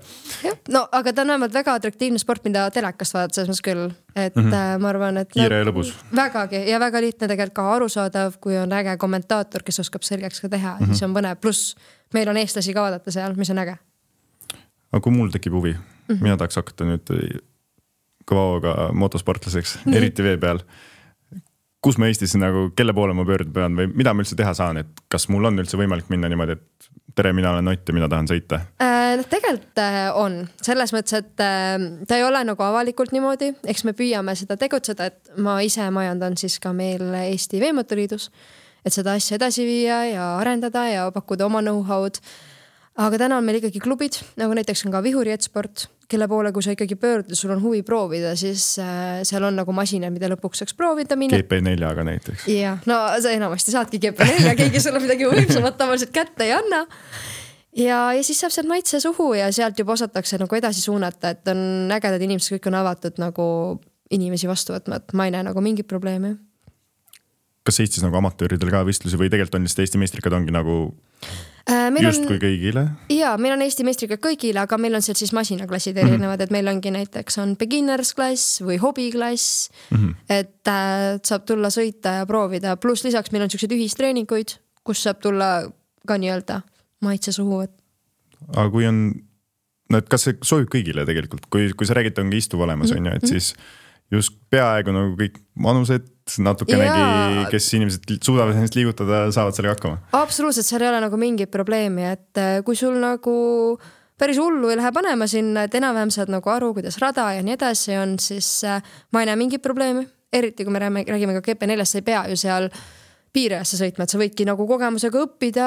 No, aga ta on vähemalt väga atraktiivne sport, mida telekast vaadata, selles mõttes küll. Et mm -hmm. ma arvan, et kiire ja lõbus. Vägagi ja väga lihtne tegelikult ka arusaadav, kui on äge kommentaator, kes oskab selgeks ka teha, mm -hmm. siis on põnev. Plus meil on eestlasi ka vaadata seal, mis on äge. Aga kui mul tekib huvi, mm -hmm. mina tahaks hakata nüüd kõvaoga motosportlaseks, mm -hmm. eriti vee peal. Kus ma Eestis nagu, kelle poole ma pöörda pean või mida ma üldse teha saan, et kas mul on üldse võimalik minna niimoodi, et tere, mina olen Ott ja mina tahan sõita? No tegelikult on, selles mõttes, et ta ei ole nagu avalikult niimoodi, eks me püüame seda tegutseda, et ma ise majandan siis ka meil Eesti Veemotoriidus, et seda asja edasi viia ja arendada ja pakkuda oma know-how'd. Aga täna on meil ikkagi klubid, nagu näiteks on ka Vihuri Etsport, kelle poole, kui sa ikkagi pöörd, sul on huvi proovida, siis äh, seal on nagu masinad, mida lõpuks saaks proovida minna. G P neljaga näiteks. Jah, no sa enamasti saadki G P nelja, keegi sulle midagi võimsamat tavaliselt kätte ei anna. Ja, ja siis saab sealt maitse suhu ja sealt juba osatakse nagu edasi suunata, et on ägedad inimesed, kõik on avatud nagu inimesi vastu võtma, et ma ei näe nagu mingit probleemi. Kas Eestis nagu amatööridel ka võistlusi või tegelikult on lihtsalt Eesti meistrikad ongi nagu äh, just on, kui kõigile? Jaa, meil on Eesti meistrikad kõigile, aga meil on seal siis masinaklassid erinevad, et meil ongi näiteks on beginners klass või hobiklass, mm-hmm. et äh, saab tulla sõita ja proovida, pluss lisaks meil on sellised ühistreeninguid, kus saab tulla ka nii-öelda maitse suhu. Aga kui on, no et kas see sobib kõigile tegelikult, kui, kui sa räägid, ongi istuv olemas, mm-hmm. on ju, et siis just peaaegu nagu kõik manused, natukenegi, ja... kes inimesed suudavad ennast liigutada, saavad sellega hakkama. Absoluutselt, seal ei ole nagu mingit probleemi, et kui sul nagu päris hullu ei lähe panema sinna, et enam-vähem saad nagu aru, kuidas rada ja nii edasi on, siis ma ei näe mingit probleemi. Eriti kui me räägime ka G P neljast, sa ei pea ju seal piirajasse sõitma, et sa võidki nagu kogemusega õppida,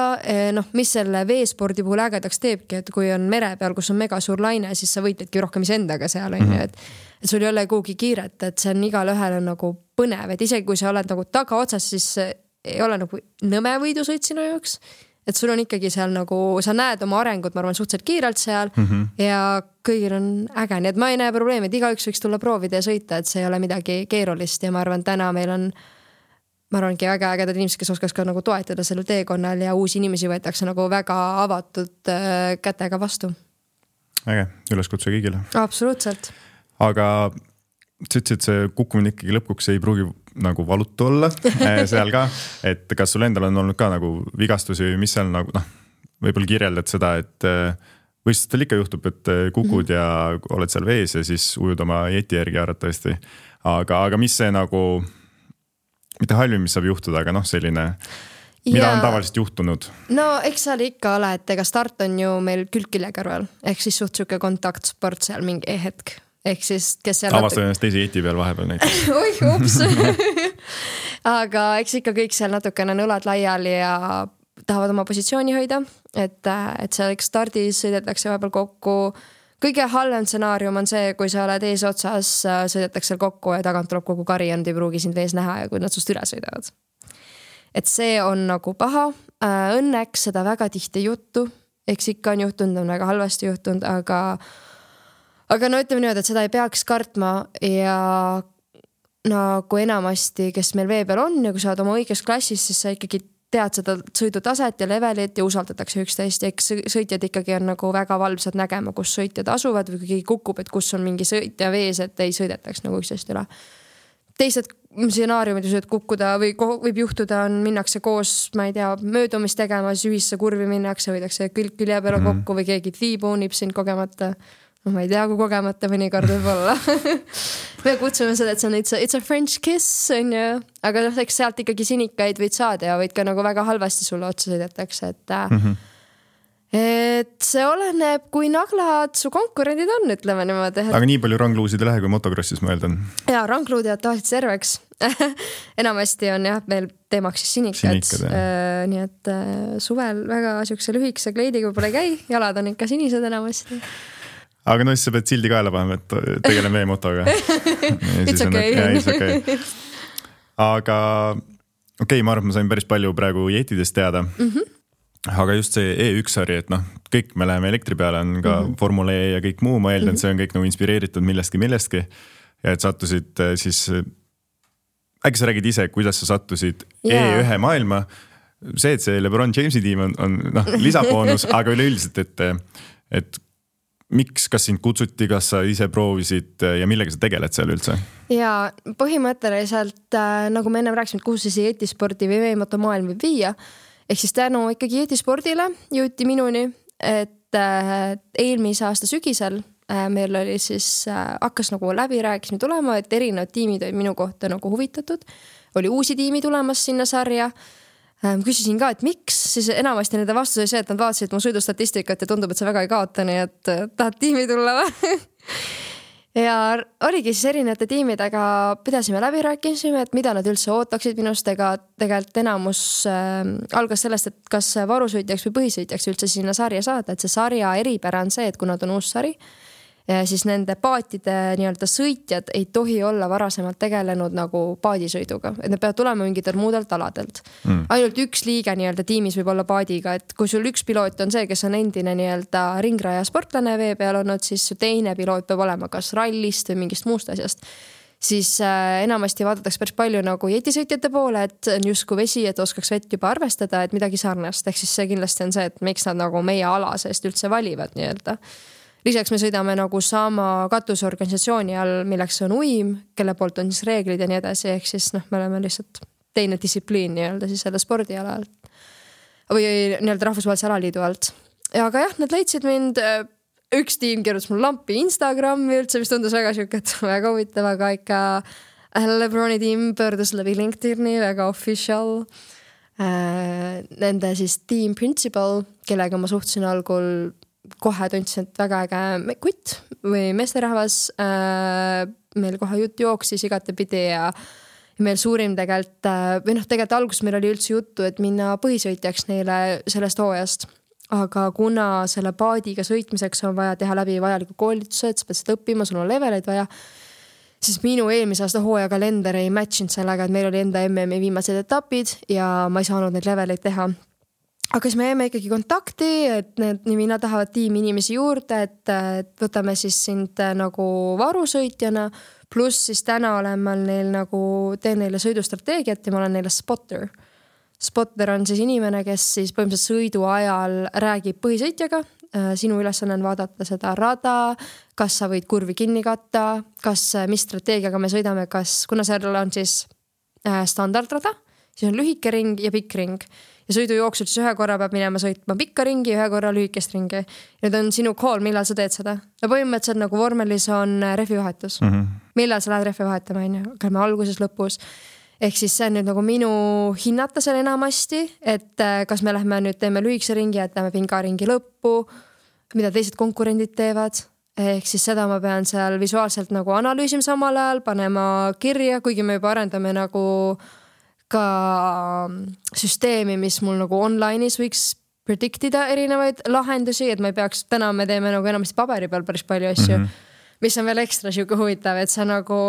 noh, mis selle veespordi puhul ägedaks teebki, et kui on mere peal, kus on mega suur laine, siis sa võitledki rohkem isendaga seal, on ju, et, et sul ei ole kuhugi kiiret, et see on igal ühel on nagu põnev, et isegi kui sa oled nagu taga otsas, siis ei ole nagu nõme võidusõit sinu jaoks, et sul on ikkagi seal nagu, sa näed oma arengut, ma arvan, suhteliselt kiirelt seal mm -hmm. ja kõigil on äge, nii et ma ei näe probleemi, et igaüks võiks tulla proovida ja sõita, et see ei ole midagi keerulist ja ma arvan, täna meil on ma arvangi väga ägedad inimesed, kes oskaks ka nagu toetada sellel teekonnal ja uusi inimesi võetakse nagu väga avatud äh, kätega vastu. Äge, üleskutse kõigile. Absoluutselt. Aga sa ütlesid, et see kukkumine ikkagi lõpuks ei pruugi nagu valutu olla seal ka, et kas sul endal on olnud ka nagu vigastusi, mis seal nagu, noh, võib-olla kirjeldad seda, et võistlustel ikka juhtub, et kukud mm-hmm. ja oled seal vees ja siis ujud oma jeti järgi arvatavasti. Aga, aga mis see nagu mitte halvim, mis saab juhtuda, aga noh, selline, mida ja, on tavaliselt juhtunud? No eks seal ikka ole, et ega start on ju meil külg külje kõrval, ehk siis suht suke kontaktsport seal mingi hetk. Ehk siis, kes seal... Avastan ennast teise jeti peal vahepeal näiteks. Oi, ups! Aga eks ikka kõik seal natukene nõlad laiali ja tahavad oma positsiooni hoida, et, et seal stardis sõidetakse vahepeal kokku. Kõige halvem stsenaarium on see, kui sa oled ees otsas, sõidetakse seal kokku ja tagant tuleb kogu kari ja nad ei pruugi sind vees näha ja kui nad sust üle sõidavad. Et see on nagu paha. Õnneks seda väga tihti juttu. Eks ikka on juhtunud, on väga halvasti juhtunud, aga, aga no ütleme nüüd, et seda ei peaks kartma ja nagu enamasti, kes meil vee peal on ja kui sa oled oma õiges klassis, siis sa ikkagi tead seda sõidutaset ja levelit ja usaldatakse üksteist. Eks sõitjad ikkagi on nagu väga valvsad nägema, kus sõitjad asuvad või kui keegi kukub, et kus on mingi sõitja vees, et ei sõidetaks nagu üksteist üle. Teised stsenaariumid, et kukkuda või võib juhtuda, on minnakse koos, ma ei tea, möödumist tegema, siis ühisse kurvi minnakse, võidakse külg külje peale mm -hmm. kokku või keegi tiibuunib sind kogemata. No ma ei tea, kui kogemata mõnikord võib olla. Me kutsume seda, et see on it's a, it's a French kiss, on ju. Aga eks sealt ikkagi sinikaid võid saada ja võid ka nagu väga halvasti sulle otsa sõidetakse, et, mm -hmm. et see oleneb, kui naglad su konkurendid on, ütleme niimoodi. Et... Aga nii palju rangluusid ei lähe, kui motokrossis ma eeldan. Jaa, rangluud jäävad tavaliselt serveks. Enamasti on jah, meil teemaks siis sinikad. sinikad äh, nii et äh, suvel väga siukse lühikese kleidiga pole käi, jalad on ikka sinised enamasti. Aga no siis sa pead sildi kaela panema, et tegelen vee motoga. It's okay. Ja, it's okay. Aga okei, okay, ma arvan, ma sain päris palju praegu jetidest teada. Mm-hmm. Aga just see E üks sari, et noh, kõik me läheme elektri peale, on ka mm-hmm. Formula E ja kõik muu, ma eeldan, mm-hmm. see on kõik nagu inspireeritud millestki millestki. Ja et sattusid siis, äkki sa räägid ise, kuidas sa sattusid yeah. E ühe maailma. See, et see LeBron Jamesi tiim on, on noh, lisaboonus, aga üleüldiselt, et, et miks, kas sind kutsuti, kas sa ise proovisid ja millega sa tegeled seal üldse? Ja põhimõtteliselt, nagu me enne rääkisime, kuhu see jetispordi või veemoto maailm võib viia, ehk siis tänu ikkagi jetispordile jõuti minuni, et eelmise aasta sügisel meil oli siis, hakkas nagu läbirääkismi tulema, et erinevad tiimid olid minu kohta nagu huvitatud, oli uusi tiimi tulemas sinna sarja. Küsisin ka, et miks, siis enamasti nende vastus oli see, et nad vaatasid mu sõidustatistikat ja tundub, et see väga ei kaota, nii et tahad tiimi tulla või? Ja oligi siis erinevate tiimidega pidasime läbi rääkisime, et mida nad üldse ootaksid minust, ega tegelikult enamus äh, algas sellest, et kas varusõitjaks või põhisõitjaks üldse sinna sarja saada, et see sarja eripära on see, et kuna ta on uus sari, ja siis nende paatide nii-öelda sõitjad ei tohi olla varasemalt tegelenud nagu paadisõiduga, et need peavad tulema mingitelt muudelt aladelt mm.. ainult üks liige nii-öelda tiimis võib olla paadiga, et kui sul üks piloot on see, kes on endine nii-öelda ringraja sportlane vee peal olnud, siis teine piloot peab olema kas rallist või mingist muust asjast. Siis äh, enamasti vaadatakse päris palju nagu jetisõitjate poole, et on justkui vesi, et oskaks vett juba arvestada, et midagi sarnast. Ehk siis see kindlasti on see, et miks nad nagu meie ala seest üldse valivad nii-öelda. Lisaks me sõidame nagu sama katusorganisatsiooni all, milleks on uim, kelle poolt on siis reeglid ja nii edasi. Ehk siis noh, me oleme lihtsalt teine distsipliin nii-öelda siis selle spordiala alt või nii-öelda rahvusvahelise alaliidu alt. Ja aga jah, nad leidsid mind... Üks tiim kirjutas mul lampi Instagrami üldse, mis tundus väga siuke, et väga huvitav, aga ikka LeBroni tiim pöördus läbi LinkedIni, väga official. Nende siis team principal, kellega ma suhtsin algul kohe tundsin, et väga äge kutt või meesterahvas. Meil kohe jutt jooksis igatepidi ja meil suurim tegelikult, või noh, tegelikult alguses meil oli üldse juttu, et minna põhisõitjaks neile sellest hooajast. Aga kuna selle paadiga sõitmiseks on vaja teha läbi vajaliku koolitused, sa pead seda õppima, sul on leveleid vaja, siis minu eelmise aasta hooaja kalender ei matchinud sellega, et meil oli enda M M-i viimased etapid ja ma ei saanud neid leveleid teha. Aga siis me jäime ikkagi kontakti, et need nimina tahavad tiimi inimesi juurde, et, et võtame siis sind nagu varusõitjana, pluss siis täna olen ma neil nagu, teen neile sõidustrateegiat ja ma olen neile spotter. Spotter on siis inimene, kes siis põhimõtteliselt sõidu ajal räägib põhisõitjaga. Sinu ülesanne on vaadata seda rada, kas sa võid kurvi kinni katta, kas, mis strateegiaga me sõidame, kas, kuna seal on siis standardrada, siis on lühike ring ja pikk ring. Ja sõidu jooksul siis ühe korra peab minema sõitma pikka ringi, ühe korra lühikest ringi. Nüüd on sinu call, millal sa teed seda. Ja põhimõtteliselt nagu vormelis on rehvivahetus. Mm-hmm. Millal sa lähed rehvi vahetama, on ju? Alguses, lõpus. Ehk siis see on nüüd nagu minu hinnata seal enamasti, et kas me lähme nüüd teeme lühikese ringi, et lähme pingaringi lõppu, mida teised konkurendid teevad. Ehk siis seda ma pean seal visuaalselt nagu analüüsima samal ajal, panema kirja, kuigi me juba arendame nagu ka süsteemi, mis mul nagu online'is võiks prediktida erinevaid lahendusi, et ma ei peaks, täna me teeme nagu enamasti paberi peal päris palju asju, mm-hmm. mis on veel ekstra siuke huvitav, et sa nagu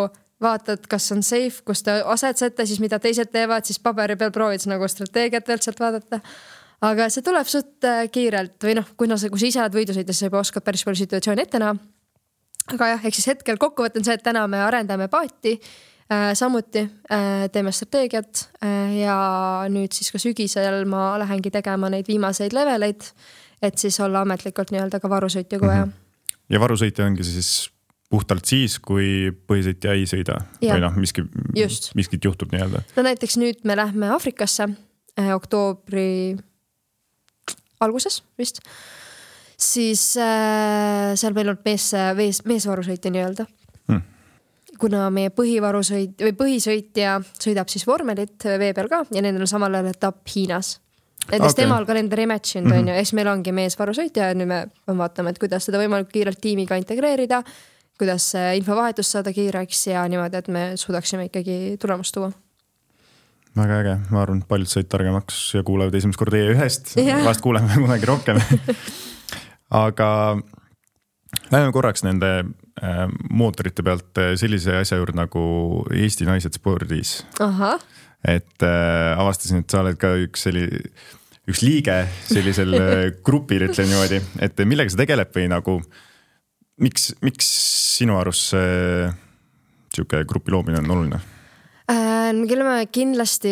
vaatad, kas on safe, kus te asetsete, siis mida teised teevad, siis paberi peal proovid nagu strateegiat veel sealt vaadata. Aga see tuleb suht kiirelt või noh, kui, no, kui sa ise oled võidusõides, sa juba oskad päris palju situatsiooni ette näha. Aga jah, ehk siis hetkel kokkuvõtten see, et täna me arendame paati, äh, samuti äh, teeme strateegiat äh, ja nüüd siis ka sügisel ma lähengi tegema neid viimaseid leveleid, et siis olla ametlikult nii-öelda ka varusõitja kui vaja. Mm-hmm. Ja varusõitja ongi siis puhtalt siis, kui põhisõitja ei sõida ja. Või noh, miski, miskit juhtub nii-öelda. No näiteks nüüd me lähme Afrikasse eh, oktoobri alguses vist. Siis eh, seal meil on mees, mees, meesvarusõitja nii-öelda. Hmm. Kuna meie põhivarusõit, või põhisõitja sõidab siis vormelit vee peal ka ja nendel on samal ajal etapp Hiinas. Näiteks okay. Temal kalender ei matchinud, mm-hmm. on ju, eks meil ongi meesvarusõitja ja nüüd me vaatame, et kuidas seda võimalikult kiirelt tiimiga integreerida, kuidas infovahetus saada kiireks ja niimoodi, et me suudaksime ikkagi tulemust tuua. Väga äge, ma arvan, et paljud said targemaks ja kuulevad esimest korda E ühest, yeah. Vast kuuleme kunagi rohkem. Aga lähme korraks nende äh, mootorite pealt sellise asja juurde nagu Eesti naised spordis. Aha. Et äh, avastasin, et sa oled ka üks, selli, üks liige sellisel grupil, ütlen niimoodi, et millega sa tegeleb või nagu Miks, miks sinu arust see siuke grupi loomine on oluline? Äh, kelle me kindlasti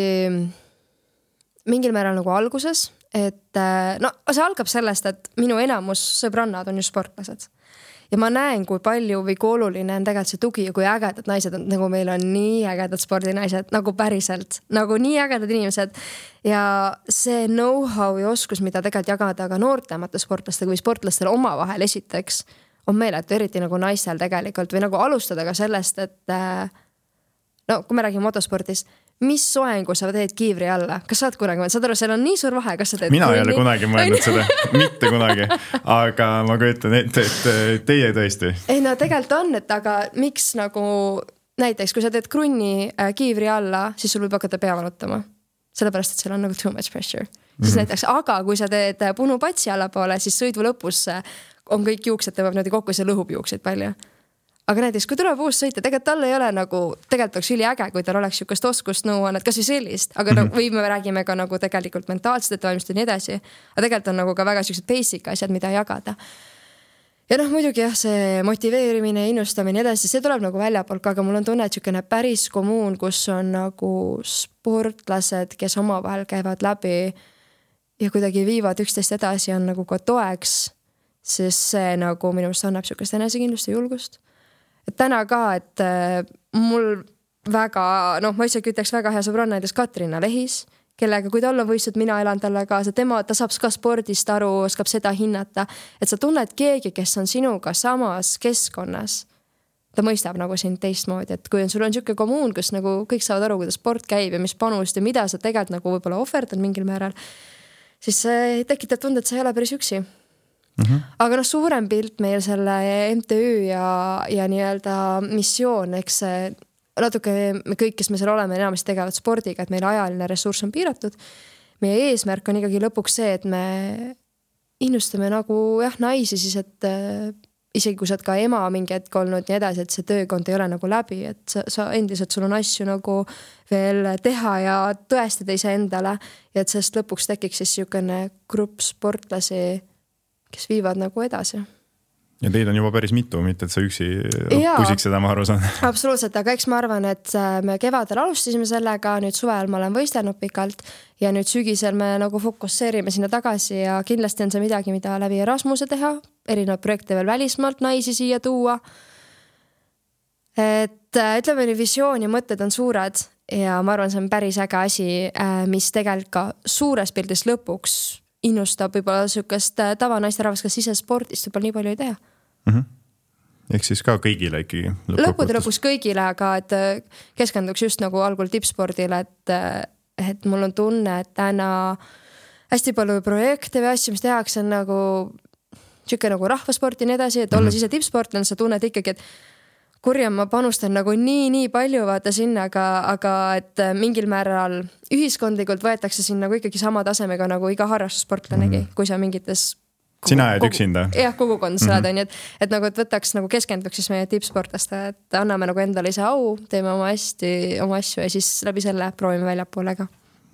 mingil määral nagu alguses, et no see algab sellest, et minu enamus sõbrannad on ju sportlased. Ja ma näen, kui palju või kui oluline on tegelikult see tugi ja kui ägedad naised on, nagu meil on nii ägedad spordinaised, nagu päriselt, nagu nii ägedad inimesed. Ja see know-how ja oskus, mida tegelikult jagada ka noortemate sportlastega või sportlastel oma vahel esiteks, on meeletu, eriti nagu naistel tegelikult või nagu alustada ka sellest, et no kui me räägime motospordis, mis soengu sa teed kiivri alla? Kas saad kunagi, saad aru, seal on nii suur vahe, kas sa teed mina ei ole kunagi mõelnud seda, mitte kunagi, aga ma kujutan ette, et teie tõesti. Ei no tegelikult on, et aga miks nagu näiteks, kui sa teed krunni kiivri alla, siis sul võib hakata pea valutama. Sellepärast, et seal on nagu too much pressure. Siis mm-hmm. näiteks, aga kui sa teed punu patsi alla poole, siis sõidu lõpus on kõik juuksed, tõmbab niimoodi kokku, see lõhub juukseid palju. Aga näiteks, kui tuleb uus sõita, tegelikult tal ei ole nagu, tegelikult oleks üli äge, kui tal oleks sükast oskust nõuannet, kas või sellist, aga mm -hmm. või me räägime ka nagu tegelikult mentaalselt, et valmistada nii edasi. Aga tegelikult on nagu ka väga sellised basic asjad, mida jagada. Ja noh, muidugi jah, see motiveerimine, innustamine edasi, see tuleb nagu väljapoolt, aga mul on tunne, et sükene päris kommuun, kus on nagu sportlased, kes omavahel käivad läbi ja kuidagi viivad üksteist edasi, on nagu ka toeks, sest see nagu minu meelest annab sükest enesekindlust ja julgust. Et täna ka, et mul väga, noh, ma isegi ütleks väga hea sõbranna näiteks Katrina Lehis, kellega, kui tal on võistud, mina elan talle kaasa, tema, ta saab ka spordist aru, oskab seda hinnata, et sa tunned keegi, kes on sinuga samas keskkonnas. Ta mõistab nagu sind teistmoodi, et kui on, sul on siuke kommuun, kus nagu kõik saavad aru, kuidas sport käib ja mis panust ja mida sa tegelikult nagu võib-olla ohverdad mingil määral, siis see tekitab tunde, et sa ei ole päris üksi. Mm -hmm. Aga noh, suurem pilt meil selle M T Ü ja, ja nii-öelda missioon, eks see natuke me kõik, kes me seal oleme, enamasti tegevad spordiga, et meil ajaline ressurss on piiratud. Meie eesmärk on ikkagi lõpuks see, et me innustame nagu jah, naisi siis, et äh, isegi kui sa oled ka ema mingi hetk olnud nii edasi, et see töökond ei ole nagu läbi, et sa, sa endiselt, sul on asju nagu veel teha ja tõestada ise endale ja et sellest lõpuks tekiks siis niisugune grupp sportlasi, kes viivad nagu edasi. Ja teid on juba päris mitu, mitte et sa üksi pusiks seda, ma aru saan. Absoluutselt, aga eks ma arvan, et me kevadel alustasime sellega, nüüd suvel ma olen võistelnud pikalt ja nüüd sügisel me nagu fokusseerime sinna tagasi ja kindlasti on see midagi, mida läbi Erasmuse teha, erinevad projekte veel välismaalt naisi siia tuua. Et ütleme, nii visioon ja mõtted on suured ja ma arvan, see on päris äge asi, mis tegelikult ka suures pildis lõpuks innustab võib-olla sükast tavanaiste rahvast, kes ise spordist võib-olla nii palju ei tea. Mm -hmm. Ehk siis ka kõigile ikkagi lõppude lõpuks kõigile, aga et keskenduks just nagu algul tippspordile, et, et mul on tunne, et täna hästi palju projekte või asju, mis tehakse, on nagu siuke nagu rahvasport ja nii edasi, et mm -hmm. olles ise tippsportlane, sa tunned ikkagi, et kurja ma panustan nagu nii, nii palju vaata sinna, aga, aga et mingil määral ühiskondlikult võetakse sinna nagu ikkagi sama tasemega nagu iga harrastussportlanegi, mm -hmm. kui sa mingites sina jääd üksinda. Jah, kogukond saad, on ju, et, et nagu et võtaks nagu keskenduks siis meie tippsportlaste, et anname nagu endale ise au, teeme oma hästi oma asju ja siis läbi selle proovime väljapoole ka.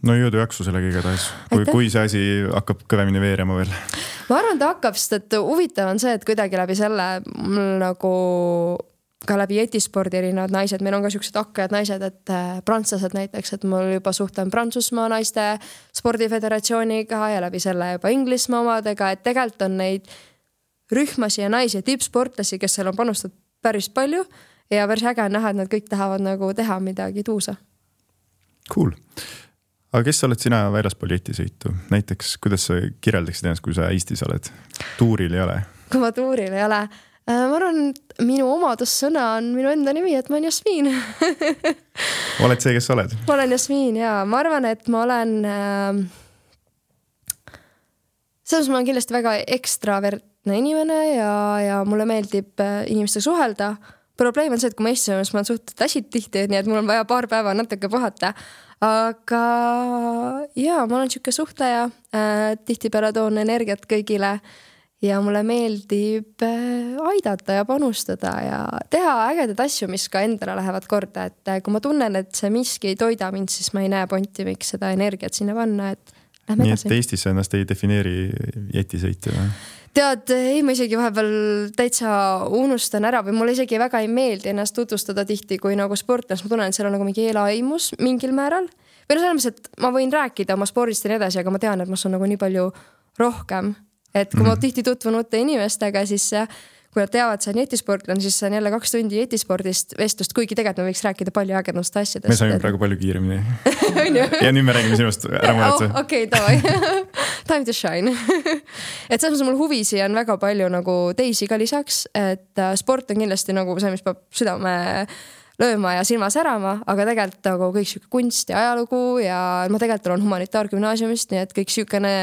No jõudu jaksu sellega igatahes, kui, kui see asi hakkab kõvemini veerema veel. Ma arvan, ta hakkab, sest et huvitav on see, et kuidagi läbi selle mul nagu ka läbi jetispordi erinevad naised, meil on ka siuksed hakkajad naised, et prantslased näiteks, et mul juba suhtlen Prantsusmaa naiste spordiföderatsiooniga ja läbi selle juba Inglismaa omadega, et tegelikult on neid rühmasi ja naisi ja tippsportlasi, kes seal on panustanud päris palju ja päris äge on näha, et nad kõik tahavad nagu teha midagi tuusa. Cool. Aga kes sa oled sina väljaspool jetisõitu? Näiteks, kuidas sa kirjeldaksid ennast, kui sa Eestis oled? Tuuril ei ole? Kui ma tuuril ei ole? Ma arvan, et minu omadussõna on minu enda nimi, et ma olen Jasmiin. Oled see, kes sa oled? Ma olen Jasmiin, jaa. Ma arvan, et ma olen äh, selles ma olen kindlasti väga ekstravertne inimene ja, ja mulle meeldib inimestega suhelda. Probleem on see, et kui ma istusin, siis ma olen suhteliselt äsid tihti, nii et mul on vaja paar päeva natuke puhata. Aga jaa, ma olen siuke suhtleja, äh, tihtipeale toon energiat kõigile ja mulle meeldib aidata ja panustada ja teha ägedad asju, mis ka endale lähevad korda, et kui ma tunnen, et see miski ei toida mind, siis ma ei näe ponti, miks seda energiat sinna panna, et lähme nii, edasi. Nii, et Eestis ennast ei defineeri jetisõitja või? Tead, ei, ma isegi vahepeal täitsa unustan ära või mulle isegi väga ei meeldi ennast tutvustada tihti kui nagu sportlas. Ma tunnen, et seal on nagu mingi eelaimus mingil määral. Või no selles mõttes, et ma võin rääkida oma spordist ja nii edasi, aga ma tean, et ma saan nagu nii palju rohkem. Et kui mm. ma tihti tutvun uute inimestega, siis kui nad teavad, see on jetisportlane, siis see on jälle kaks tundi jetispordist vestlust, kuigi tegelikult me võiks rääkida palju ägedamast asjadest. Me saime praegu palju kiiremini. Ja nüüd me räägime sinust ära muretse. Oh, okei, okay, davai. Time to shine. Et selles mõttes mul huvisi on väga palju nagu teisi ka lisaks, et sport on kindlasti nagu see, mis peab südame lööma ja silma särama, aga tegelikult nagu kõik siuke kunst ja ajalugu ja ma tegelikult olen humanitaargümnaasiumist, nii et kõik siukene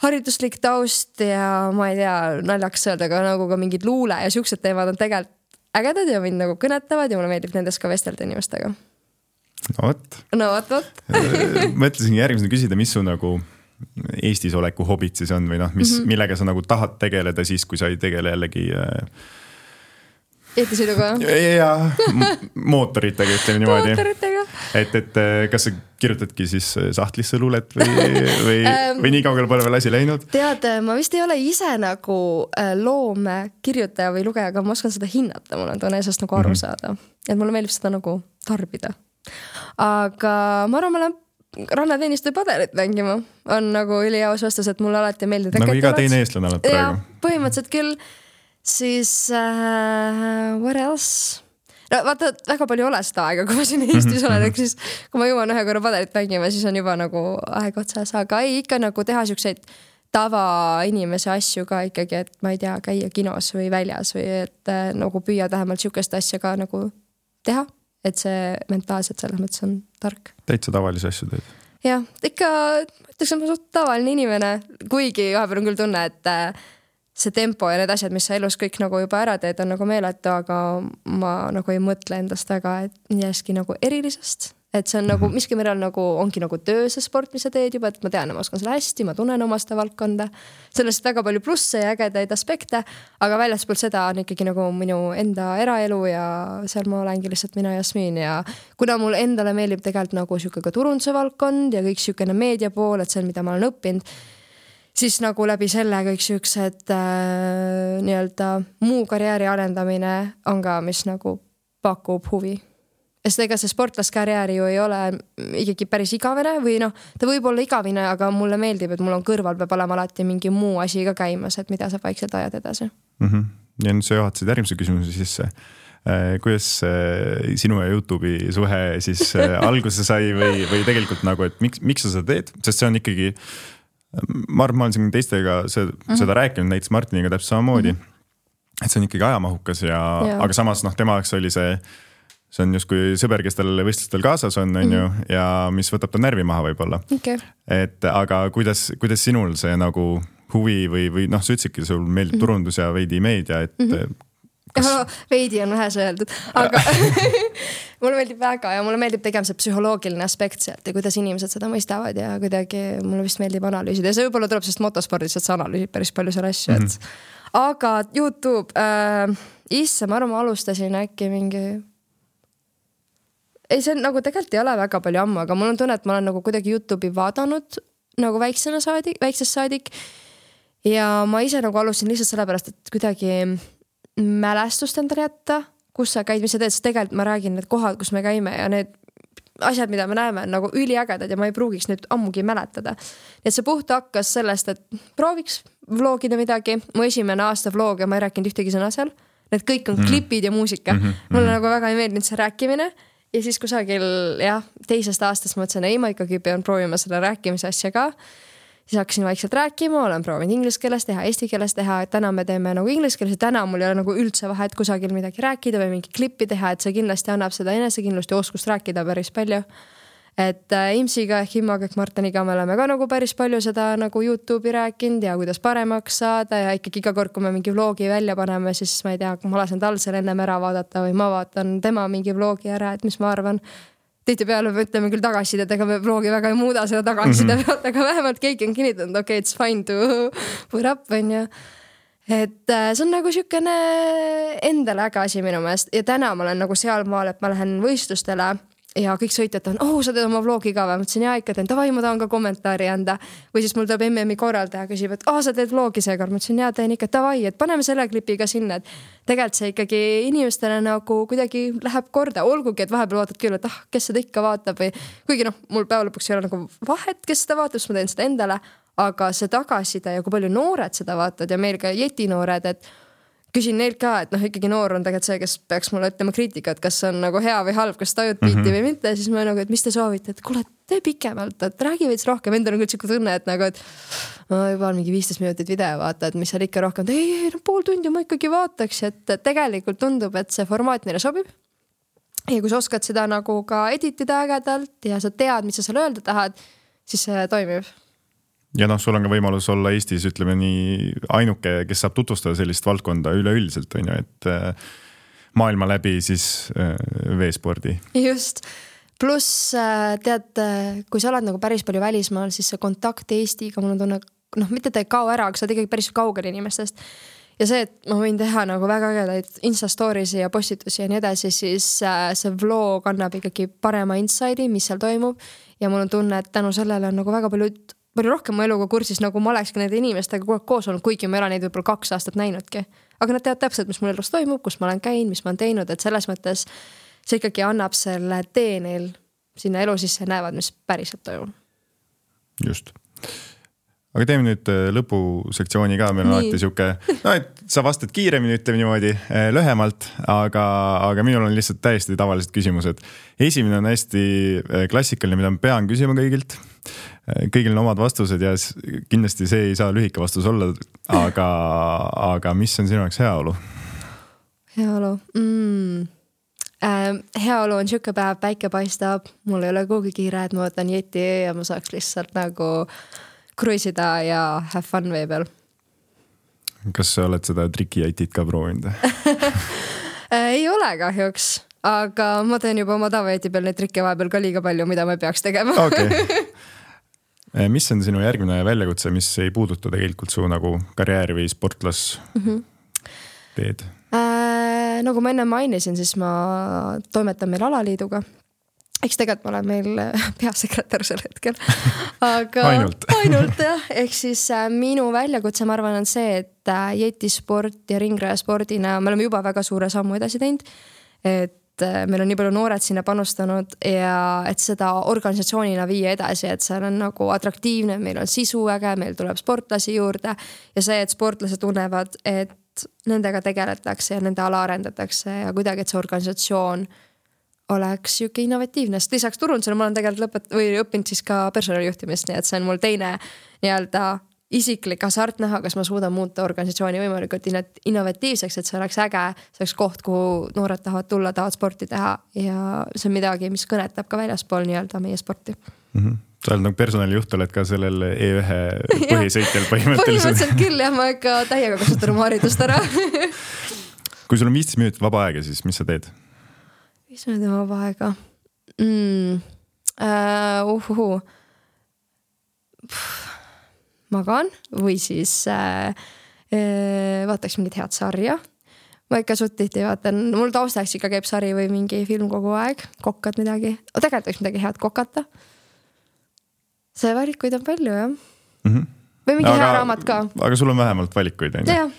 hariduslik taust ja ma ei tea, naljaks öelda, aga nagu ka mingid luule ja siuksed teemad on tegelikult ägedad ja mind nagu kõnetavad ja mulle meeldib nendest ka vestelda inimestega. No võt. No võt, võt. Mõtlesin järgmisena küsida, mis su nagu Eestis oleku hobid siis on või noh, mis mm, -hmm. millega sa nagu tahad tegeleda siis, kui sa ei tegele jällegi eetisõiduga? Ja mootoritega, ütleme niimoodi. Mootoritega. Et, et kas sa kirjutadki siis sahtlisse luulet või, või, või nii kaugel pole veel asi läinud? Tead, ma vist ei ole ise nagu loome kirjutaja või lugeja, aga ma oskan seda hinnata, mul on tunne eesest nagu aru saada. Et mulle meeldib seda nagu tarbida. Aga ma arvan, ma lähen rannateenistuja padelit mängima. On nagu üliaus vastus, et mulle alati meeldib. Nagu iga teine eestlane oled praegu. Ja, põhimõtteliselt küll. Siis uh, what else? No, vaata, väga palju ole seda aega, kui ma siin Eestis olen, ehk siis kui ma jõuan ühe korra padelit mängima, siis on juba nagu aeg otsas, aga ei ikka nagu teha siukseid tava inimese asju ka ikkagi, et ma ei tea, käia kinos või väljas või et äh, nagu püüa vähemalt siukest asja ka nagu teha, et see mentaalselt selles mõttes on tark. Täitsa tavalisi asju teed? Jah, ikka, ütleks, et ma suht tavaline inimene, kuigi vahepeal on küll tunne, et äh, see tempo ja need asjad, mis sa elus kõik nagu juba ära teed, on nagu meeletu, aga ma nagu ei mõtle endast väga, et jäski nagu erilisest. Et see on nagu, miski meil on nagu, ongi nagu töö see sport, mis sa teed juba, et ma tean, ma oskan selle hästi, ma tunnen oma seda valdkonda. Sellest väga palju plusse ja ägedaid aspekte, aga väljaspoolt seda on ikkagi nagu minu enda eraelu ja seal ma olengi lihtsalt mina Jasmin ja kuna mul endale meeldib tegelikult nagu siuke ka turunduse valdkond ja kõik siukene meedia pool, et see on, mida ma olen õppinud, siis nagu läbi selle kõik siuksed äh, nii-öelda muu karjääri arendamine on ka, mis nagu pakub huvi. Sest ega see sportlaskarjääri ju ei ole ikkagi päris igavene või noh, ta võib olla igavine, aga mulle meeldib, et mul on kõrval peab olema alati mingi muu asi ka käimas, et mida sa vaikselt ajad edasi. Mm -hmm. Ja nüüd sa juhatasid järgmise küsimuse sisse. Kuidas sinu ja YouTube'i suhe siis alguse sai või, või tegelikult nagu, et miks, miks sa seda teed? Sest see on ikkagi ma arvan, ma olen siin teistega seda, mm-hmm. seda rääkinud, näiteks Martiniga täpselt samamoodi, mm-hmm. et see on ikkagi ajamahukas ja, ja. aga samas noh, tema jaoks oli see, see on justkui sõber, kes tal võistlustel kaasas on, on mm-hmm. ju, ja mis võtab ta närvi maha võib-olla. Okay. Et aga kuidas, kuidas sinul see nagu huvi või, või noh, sa ütlesidki, sul meeldib mm-hmm. turundus ja veidi meedia, et mm-hmm. kas... no, veidi on vähes öeldud, aga mulle meeldib väga ja mulle meeldib tegema see psühholoogiline aspekt sealt ja kuidas inimesed seda mõistavad ja kuidagi mulle vist meeldib analüüsida ja see võib-olla tuleb sest motospordist, et sa analüüsid päris palju selle asju, et mm-hmm. aga YouTube äh, isse, ma arvan, ma alustasin äkki mingi ei, see nagu tegelikult ei ole väga palju ammu, aga mul on tunne, et ma olen nagu kuidagi YouTube'i vaadanud nagu väiksena saadik, väiksest saadik ja ma ise nagu alustasin lihtsalt sellepärast, et kuidagi mälestust endale jätta, kus sa käid, mis sa teed, sest tegelikult ma räägin need kohad, kus me käime ja need asjad, mida me näeme, on nagu üliägedad ja ma ei pruugiks nüüd ammugi mäletada. Nii et see puht hakkas sellest, et prooviks vlogida midagi. Mu esimene aasta vlog ja ma ei rääkinud ühtegi sõna seal. Need kõik on mm. klipid ja muusika. Mm-hmm. Mulle nagu väga ei meeldinud see rääkimine. Ja siis kusagil jah, teisest aastast mõtlesin, ei ma ikkagi pean proovima selle rääkimise asja ka. Siis hakkasin vaikselt rääkima, olen proovinud inglise keeles teha, eesti keeles teha, et täna me teeme nagu inglise keeles ja täna mul ei ole nagu üldse vahet kusagil midagi rääkida või mingi klippi teha, et see kindlasti annab seda enesekindlust ja oskust rääkida päris palju. Et äh, Imsiga ehk Immaga ehk Martiniga me oleme ka nagu päris palju seda nagu YouTube'i rääkinud ja kuidas paremaks saada ja ikkagi iga kord, kui me mingi vlogi välja paneme, siis ma ei tea, kui ma lasen tal seal ennem ära vaadata või ma vaatan tema mingi vlogi ära, et mis ma arvan. Tihtipeale me ütleme küll tagasiside, et ega me vlogi väga ei muuda seda tagasiside mm-hmm. pealt, aga vähemalt keegi on kinnitanud, okei, okay, it's fine to put up, on ju. Et see on nagu siukene endale äge asi minu meelest ja täna ma olen nagu seal maal, et ma lähen võistlustele ja kõik sõitjad on, oh, sa teed oma vlogi ka või? Ma ütlesin, jaa, ikka teen, tavai, ma tahan ka kommentaari anda. Või siis mul tuleb M M-i korraldaja küsib, et oh, sa teed vlogi seekord. Ma ütlesin, jaa, teen ikka, tavai, et paneme selle klipi ka sinna. Et tegelikult see ikkagi inimestele nagu kuidagi läheb korda. Olgugi, et vahepeal vaatad küll, et ah, kes seda ikka vaatab või kuigi noh, mul päeva lõpuks ei ole nagu vahet, kes seda vaatab, siis ma teen seda endale. Aga see tagasiside ja kui palju noored seda vaatad ja meil ka jetinoored, et küsin neilt ka, et noh, ikkagi noor on tegelikult see, kes peaks mulle ütlema kriitikat, kas on nagu hea või halb, kas tajud biiti mm-hmm. või mitte. Siis ma nagu, et mis te soovite, et kuule, tee pikemalt, et räägi veits rohkem. Endal on küll siuke tunne, et nagu, et ma juba on mingi viisteist minutit video vaata, et mis seal ikka rohkem. Ei, ei, no pool tundi ma ikkagi vaataks, et tegelikult tundub, et see formaat neile sobib. Ja kui sa oskad seda nagu ka editida ägedalt ja sa tead, mis sa seal öelda tahad, siis see toimib. Ja noh, sul on ka võimalus olla Eestis, ütleme nii, ainuke, kes saab tutvustada sellist valdkonda üleüldiselt, on ju, et maailma läbi siis veespordi. Just. pluss tead, kui sa oled nagu päris palju välismaal, siis see kontakt Eestiga, mul on tunne, noh, mitte ta ei kao ära, aga sa oled ikkagi päris kaugel inimestest. Ja see, et ma võin teha nagu väga ägedaid Instastorisi ja postitusi ja nii edasi, siis see vlog annab ikkagi parema inside'i, mis seal toimub. Ja mul on tunne, et tänu sellele on nagu väga palju, palju rohkem mu eluga kursis, nagu ma olekski nende inimestega kogu aeg koos olnud, kuigi ma ei ole neid võib-olla kaks aastat näinudki. Aga nad teavad täpselt, mis mul elus toimub, kus ma olen käinud, mis ma olen teinud, et selles mõttes see ikkagi annab selle tee neil sinna elu sisse ja näevad, mis päriselt toimub. Just. Aga teeme nüüd lõpusektsiooni ka, meil on alati siuke, no et sa vastad kiiremini, ütleme niimoodi, lühemalt, aga, aga minul on lihtsalt täiesti tavalised küsimused. Esimene on hästi klassikaline, mida ma pean küsima kõigilt. Kõigil on omad vastused ja kindlasti see ei saa lühike vastus olla, aga, aga mis on sinu jaoks heaolu? Heaolu? Mm. Äh, heaolu on siuke päev, päike paistab, mul ei ole kuhugi kiire, et ma võtan jeti ja ma saaks lihtsalt nagu kruisida ja have fun vee peal. Kas sa oled seda trikijätit ka proovinud? Ei ole kahjuks, aga ma teen juba oma tavajäti peal neid trikke vahepeal ka liiga palju, mida ma peaks tegema. Okay. Mis on sinu järgmine väljakutse, mis ei puuduta tegelikult su nagu karjääri või sportlas mm-hmm. teed? Äh, nagu ma enne mainisin, siis ma toimetan meil alaliiduga. Eks tegelikult ma olen meil peasekretär sel hetkel. Aga ainult. ainult jah. Ehk siis äh, minu väljakutse, ma arvan, on see, et äh, jetisport ja ringrajaspordina me oleme juba väga suure sammu edasi teinud. Et äh, meil on nii palju noored sinna panustanud ja et seda organisatsioonina viia edasi, et seal on nagu atraktiivne, meil on sisu äge, meil tuleb sportlasi juurde ja see, et sportlased tunnevad, et nendega tegeletakse ja nende ala arendatakse ja kuidagi, et see organisatsioon oleks siuke innovatiivne, sest lisaks turundusele ma olen tegelikult lõpet- või õppinud siis ka personalijuhtimist, nii et see on mul teine nii-öelda isiklik hasart näha, kas ma suudan muuta organisatsiooni võimalikult innovatiivseks, et see oleks äge, see oleks koht, kuhu noored tahavad tulla, tahavad sporti teha ja see on midagi, mis kõnetab ka väljaspool nii-öelda meie sporti. Mm-hmm. Sa oled nagu personalijuht, oled ka sellel E ühe põhisõitjal põhimõtteliselt. Põhimõtteliselt küll ja ma ikka täiega kasutan oma haridust ära. Kui sul on viisteist minutit vaba aega, siis mis sa teed? Mis on tema vaba aega? Mm. Uh, uhuhu. Magan või siis uh, uh, vaataks mingit head sarja. Ma ikka suht tihti vaatan, mul taustaks ikka käib sari või mingi film kogu aeg, kokkad midagi. O, tegelikult võiks midagi head kokata. See valikuid on palju, jah. Mm-hmm. Või mingi aga, hea raamat ka. Aga sul on vähemalt valikuid, on jah?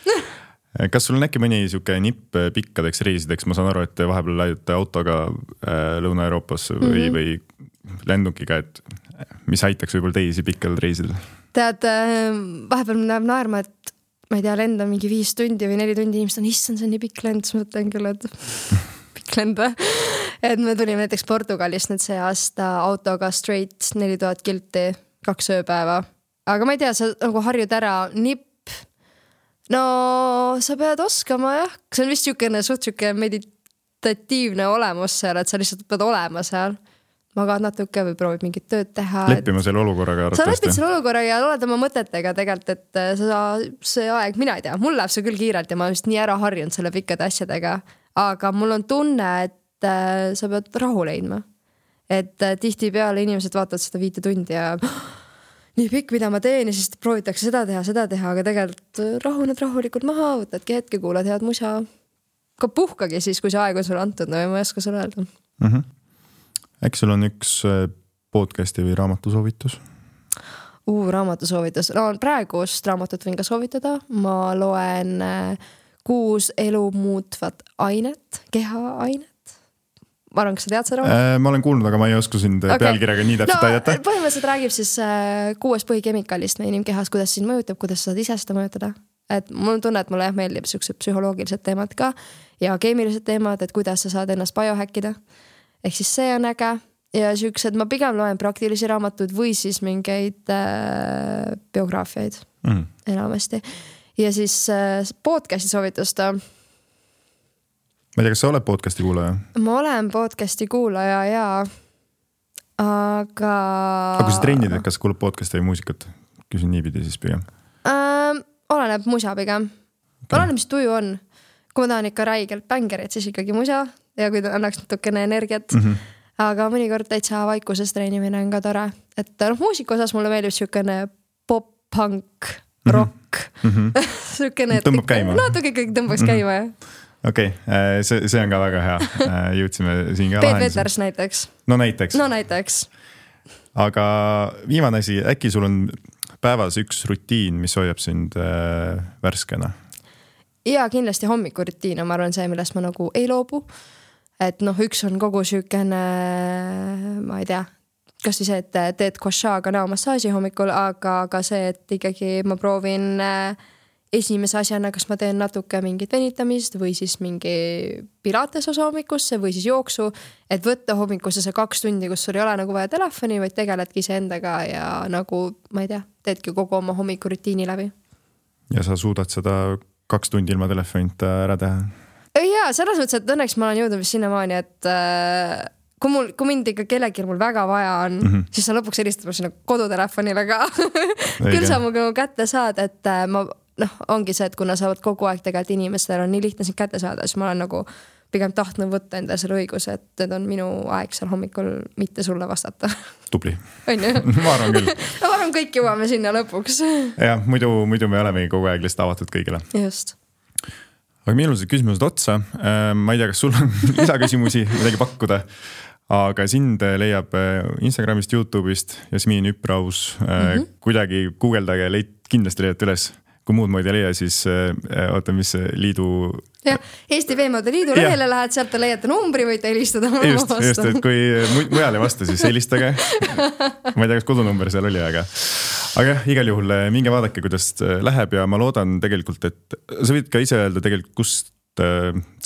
Kas sul on äkki mõni siuke nipp pikkadeks reisideks? Ma saan aru, et vahepeal läidate autoga Lõuna-Euroopas või, mm-hmm. või lendukiga, et mis aitaks võib-olla teisi pikkadel reisidel? Tead, vahepeal näeb naerma, et ma ei tea, lenda mingi viis tundi või neli tundi inimesed on, issand, see on nii pikk lend, siis mõtlen küll, et pikk lend. Et me tulime näiteks Portugalist nüüd see aasta autoga straight neli tuhat kilti, kaks ööpäeva. Aga ma ei tea, sa nagu harjud ära nipp. No sa pead oskama, jah. See on vist siukene suht siuke meditatiivne olemus seal, et sa lihtsalt pead olema seal. Magad natuke või proovid mingit tööd teha. Leppima selle olukorraga. Sa lepid selle olukorraga ja oled oma mõtetega tegelikult, et sa, see aeg, mina ei tea, mul läheb see küll kiirelt ja ma olen vist nii ära harjunud selle pikkade asjadega. Aga mul on tunne, et sa pead rahu leidma. Et tihti peale inimesed vaatavad seda viite tundi ja nii pikk, mida ma teen ja siis proovitakse seda teha, seda teha, aga tegelikult rahuned rahulikult maha, võtadki hetke, kuulad head musa. Ka puhkagi siis, kui see aeg on sulle antud, no ma ei oska sulle öelda. Mm-hmm. Äkki sul on üks podcasti või raamatusoovitus? Uu, raamatusoovitus. No, praegust raamatut võin ka soovitada. Ma loen kuus elu muutvat ainet, keha ainet. Ma arvan, kas sa tead seda raamatut? Ma olen kuulnud, aga ma ei osku sind okay. pealkirjaga nii täpselt no, aidata. Põhimõtteliselt räägib siis kuues põhikemikaalist meie inimkehas, kuidas sind mõjutab, kuidas sa saad ise seda mõjutada. Et mul on tunne, et mulle jah meeldib siuksed psühholoogilised teemad ka ja keemilised teemad, et kuidas sa saad ennast biohäkkida. Ehk siis see on äge ja siuksed, ma pigem loen praktilisi raamatuid või siis mingeid äh, biograafiaid mm. enamasti. Ja siis äh, podcasti soovitusta. Ma ei tea, kas sa oled podcasti kuulaja? Ma olen podcasti kuulaja ja aga... Aga kui sa trennid, et kas kuulab podcasti või muusikat? Küsin niipidi siis pigem. Äh, oleneb musa pigem. Okay. Oleneb, mis tuju on. Kui ma tahan ikka räigelt bängerit, siis ikkagi musa. Ja kui ta annaks natukene energiat. Mm-hmm. aga mõnikord täitsa vaikuses treenimine on ka tore. Et noh, muusika osas mulle meeldib siukene pop-punk, rock. Mm-hmm. Siukene, tõmbab käima. No, tugi kõik tõmbaks käima, jah. Okei, okay. see, see on ka väga hea. Jõudsime siin ka Peep Veters näiteks. No näiteks. No näiteks. Aga viimane asi, äkki sul on päevas üks rutiin, mis hoiab sind äh, värskena? Ja kindlasti hommikurutiina, ma arvan see, millest ma nagu ei loobu. Et noh, üks on kogu sükene, ma ei tea, kas või see, et teed košaaga näomassaaži hommikul, aga ka see, et ikkagi ma proovin esimese asjana, kas ma teen natuke mingit venitamist või siis mingi pilates osa hommikusse või siis jooksu, et võtta hommikusse see kaks tundi, kus sul ei ole nagu vaja telefoni, vaid tegeledki see endaga ja nagu, ma ei tea, teedki kogu oma hommikurutiini läbi. Ja sa suudad seda kaks tundi ilma telefonita ära teha? Jaa, selles mõttes, et õnneks ma olen jõudnud vist sinnamaani, et äh, kui, mul, kui mind ikka kellelgi mul väga vaja on, mm-hmm. siis sa lõpuks helistad sinna kodutelefonile ka. Küll sa mu kätte saad, et äh, ma noh, ongi see, et kuna sa oled kogu aeg tegelikult inimestel on nii lihtne sind kätte saada, siis ma olen nagu pigem tahtnud võtta enda selle õiguse, et need on minu aeg seal hommikul mitte sulle vastata. Tubli. On ju? Ma arvan küll. Ma arvan kõik jõuame sinna lõpuks. Jah, muidu, muidu me olemegi kogu aeg lihtsalt avatud kõigile. Just. Aga meil on see küsimused otsa. Ma ei tea, kas sul on lisaküsimusi midagi pakkuda, aga sind leiab Instagramist, YouTube'ist Jasmin Üpraus. Mm-hmm. Kuidagi guugeldage, leid, kindlasti leiate üles. Kui muud moodi leia, siis äh, oota, mis liidu... Ja, Eesti Veemade Liidu lehele lähed, sealt leiate numbri, võite helistada. Just, just, et kui mujal ei vasta, siis helistage. Ma ei tea, kas kodunumber seal oli, aga... Aga igal juhul minge vaadake, kuidas läheb ja ma loodan tegelikult, et sa võid ka ise öelda tegelikult, kust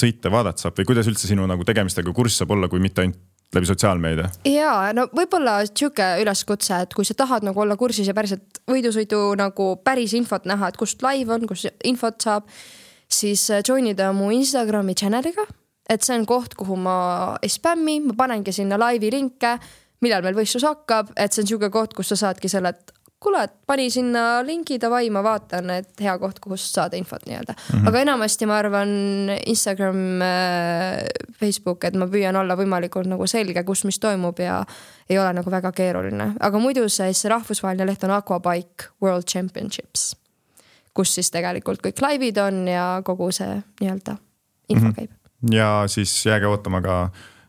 sõita vaadata saab või kuidas üldse sinu nagu tegemistega kurs saab olla, kui mitte ainult läbi sotsiaalmeedia? Jaa, no võib-olla tšuke üleskutse, et kui sa tahad nagu olla kursis ja päriselt võidusõidu nagu päris infot näha, et kust live on, kus infot saab, siis joinida mu Instagrami channeliga, et see on koht, kuhu ma ei spämmi, ma panengi sinna laivi linke, millal meil võistlus hakkab, et see on tšuke koht, kus sa saadki selle, et kuule, et pani sinna linki davai, ma vaatan, et hea koht, kust saada infot nii-öelda. Mm-hmm. Aga enamasti ma arvan Instagram, Facebook, et ma püüan olla võimalikult nagu selge, kus mis toimub ja ei ole nagu väga keeruline. Aga muidu see rahvusvaheline leht on Aquabike World Championships, kus siis tegelikult kõik laivid on ja kogu see nii-öelda info käib. Mm-hmm. Ja siis jääge ootama ka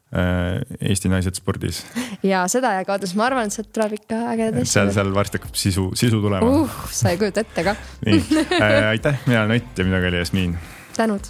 Eesti naised spordis. Ja seda ja kaotas, ma arvan, et see tuleb ikka ägedad. Seal, seal varsti hakkab sisu, sisu tulema. Uh, sa ei kujuta ette ka. Nii, aitäh, mina olen Ott ja minuga oli Jasmin. Tänud.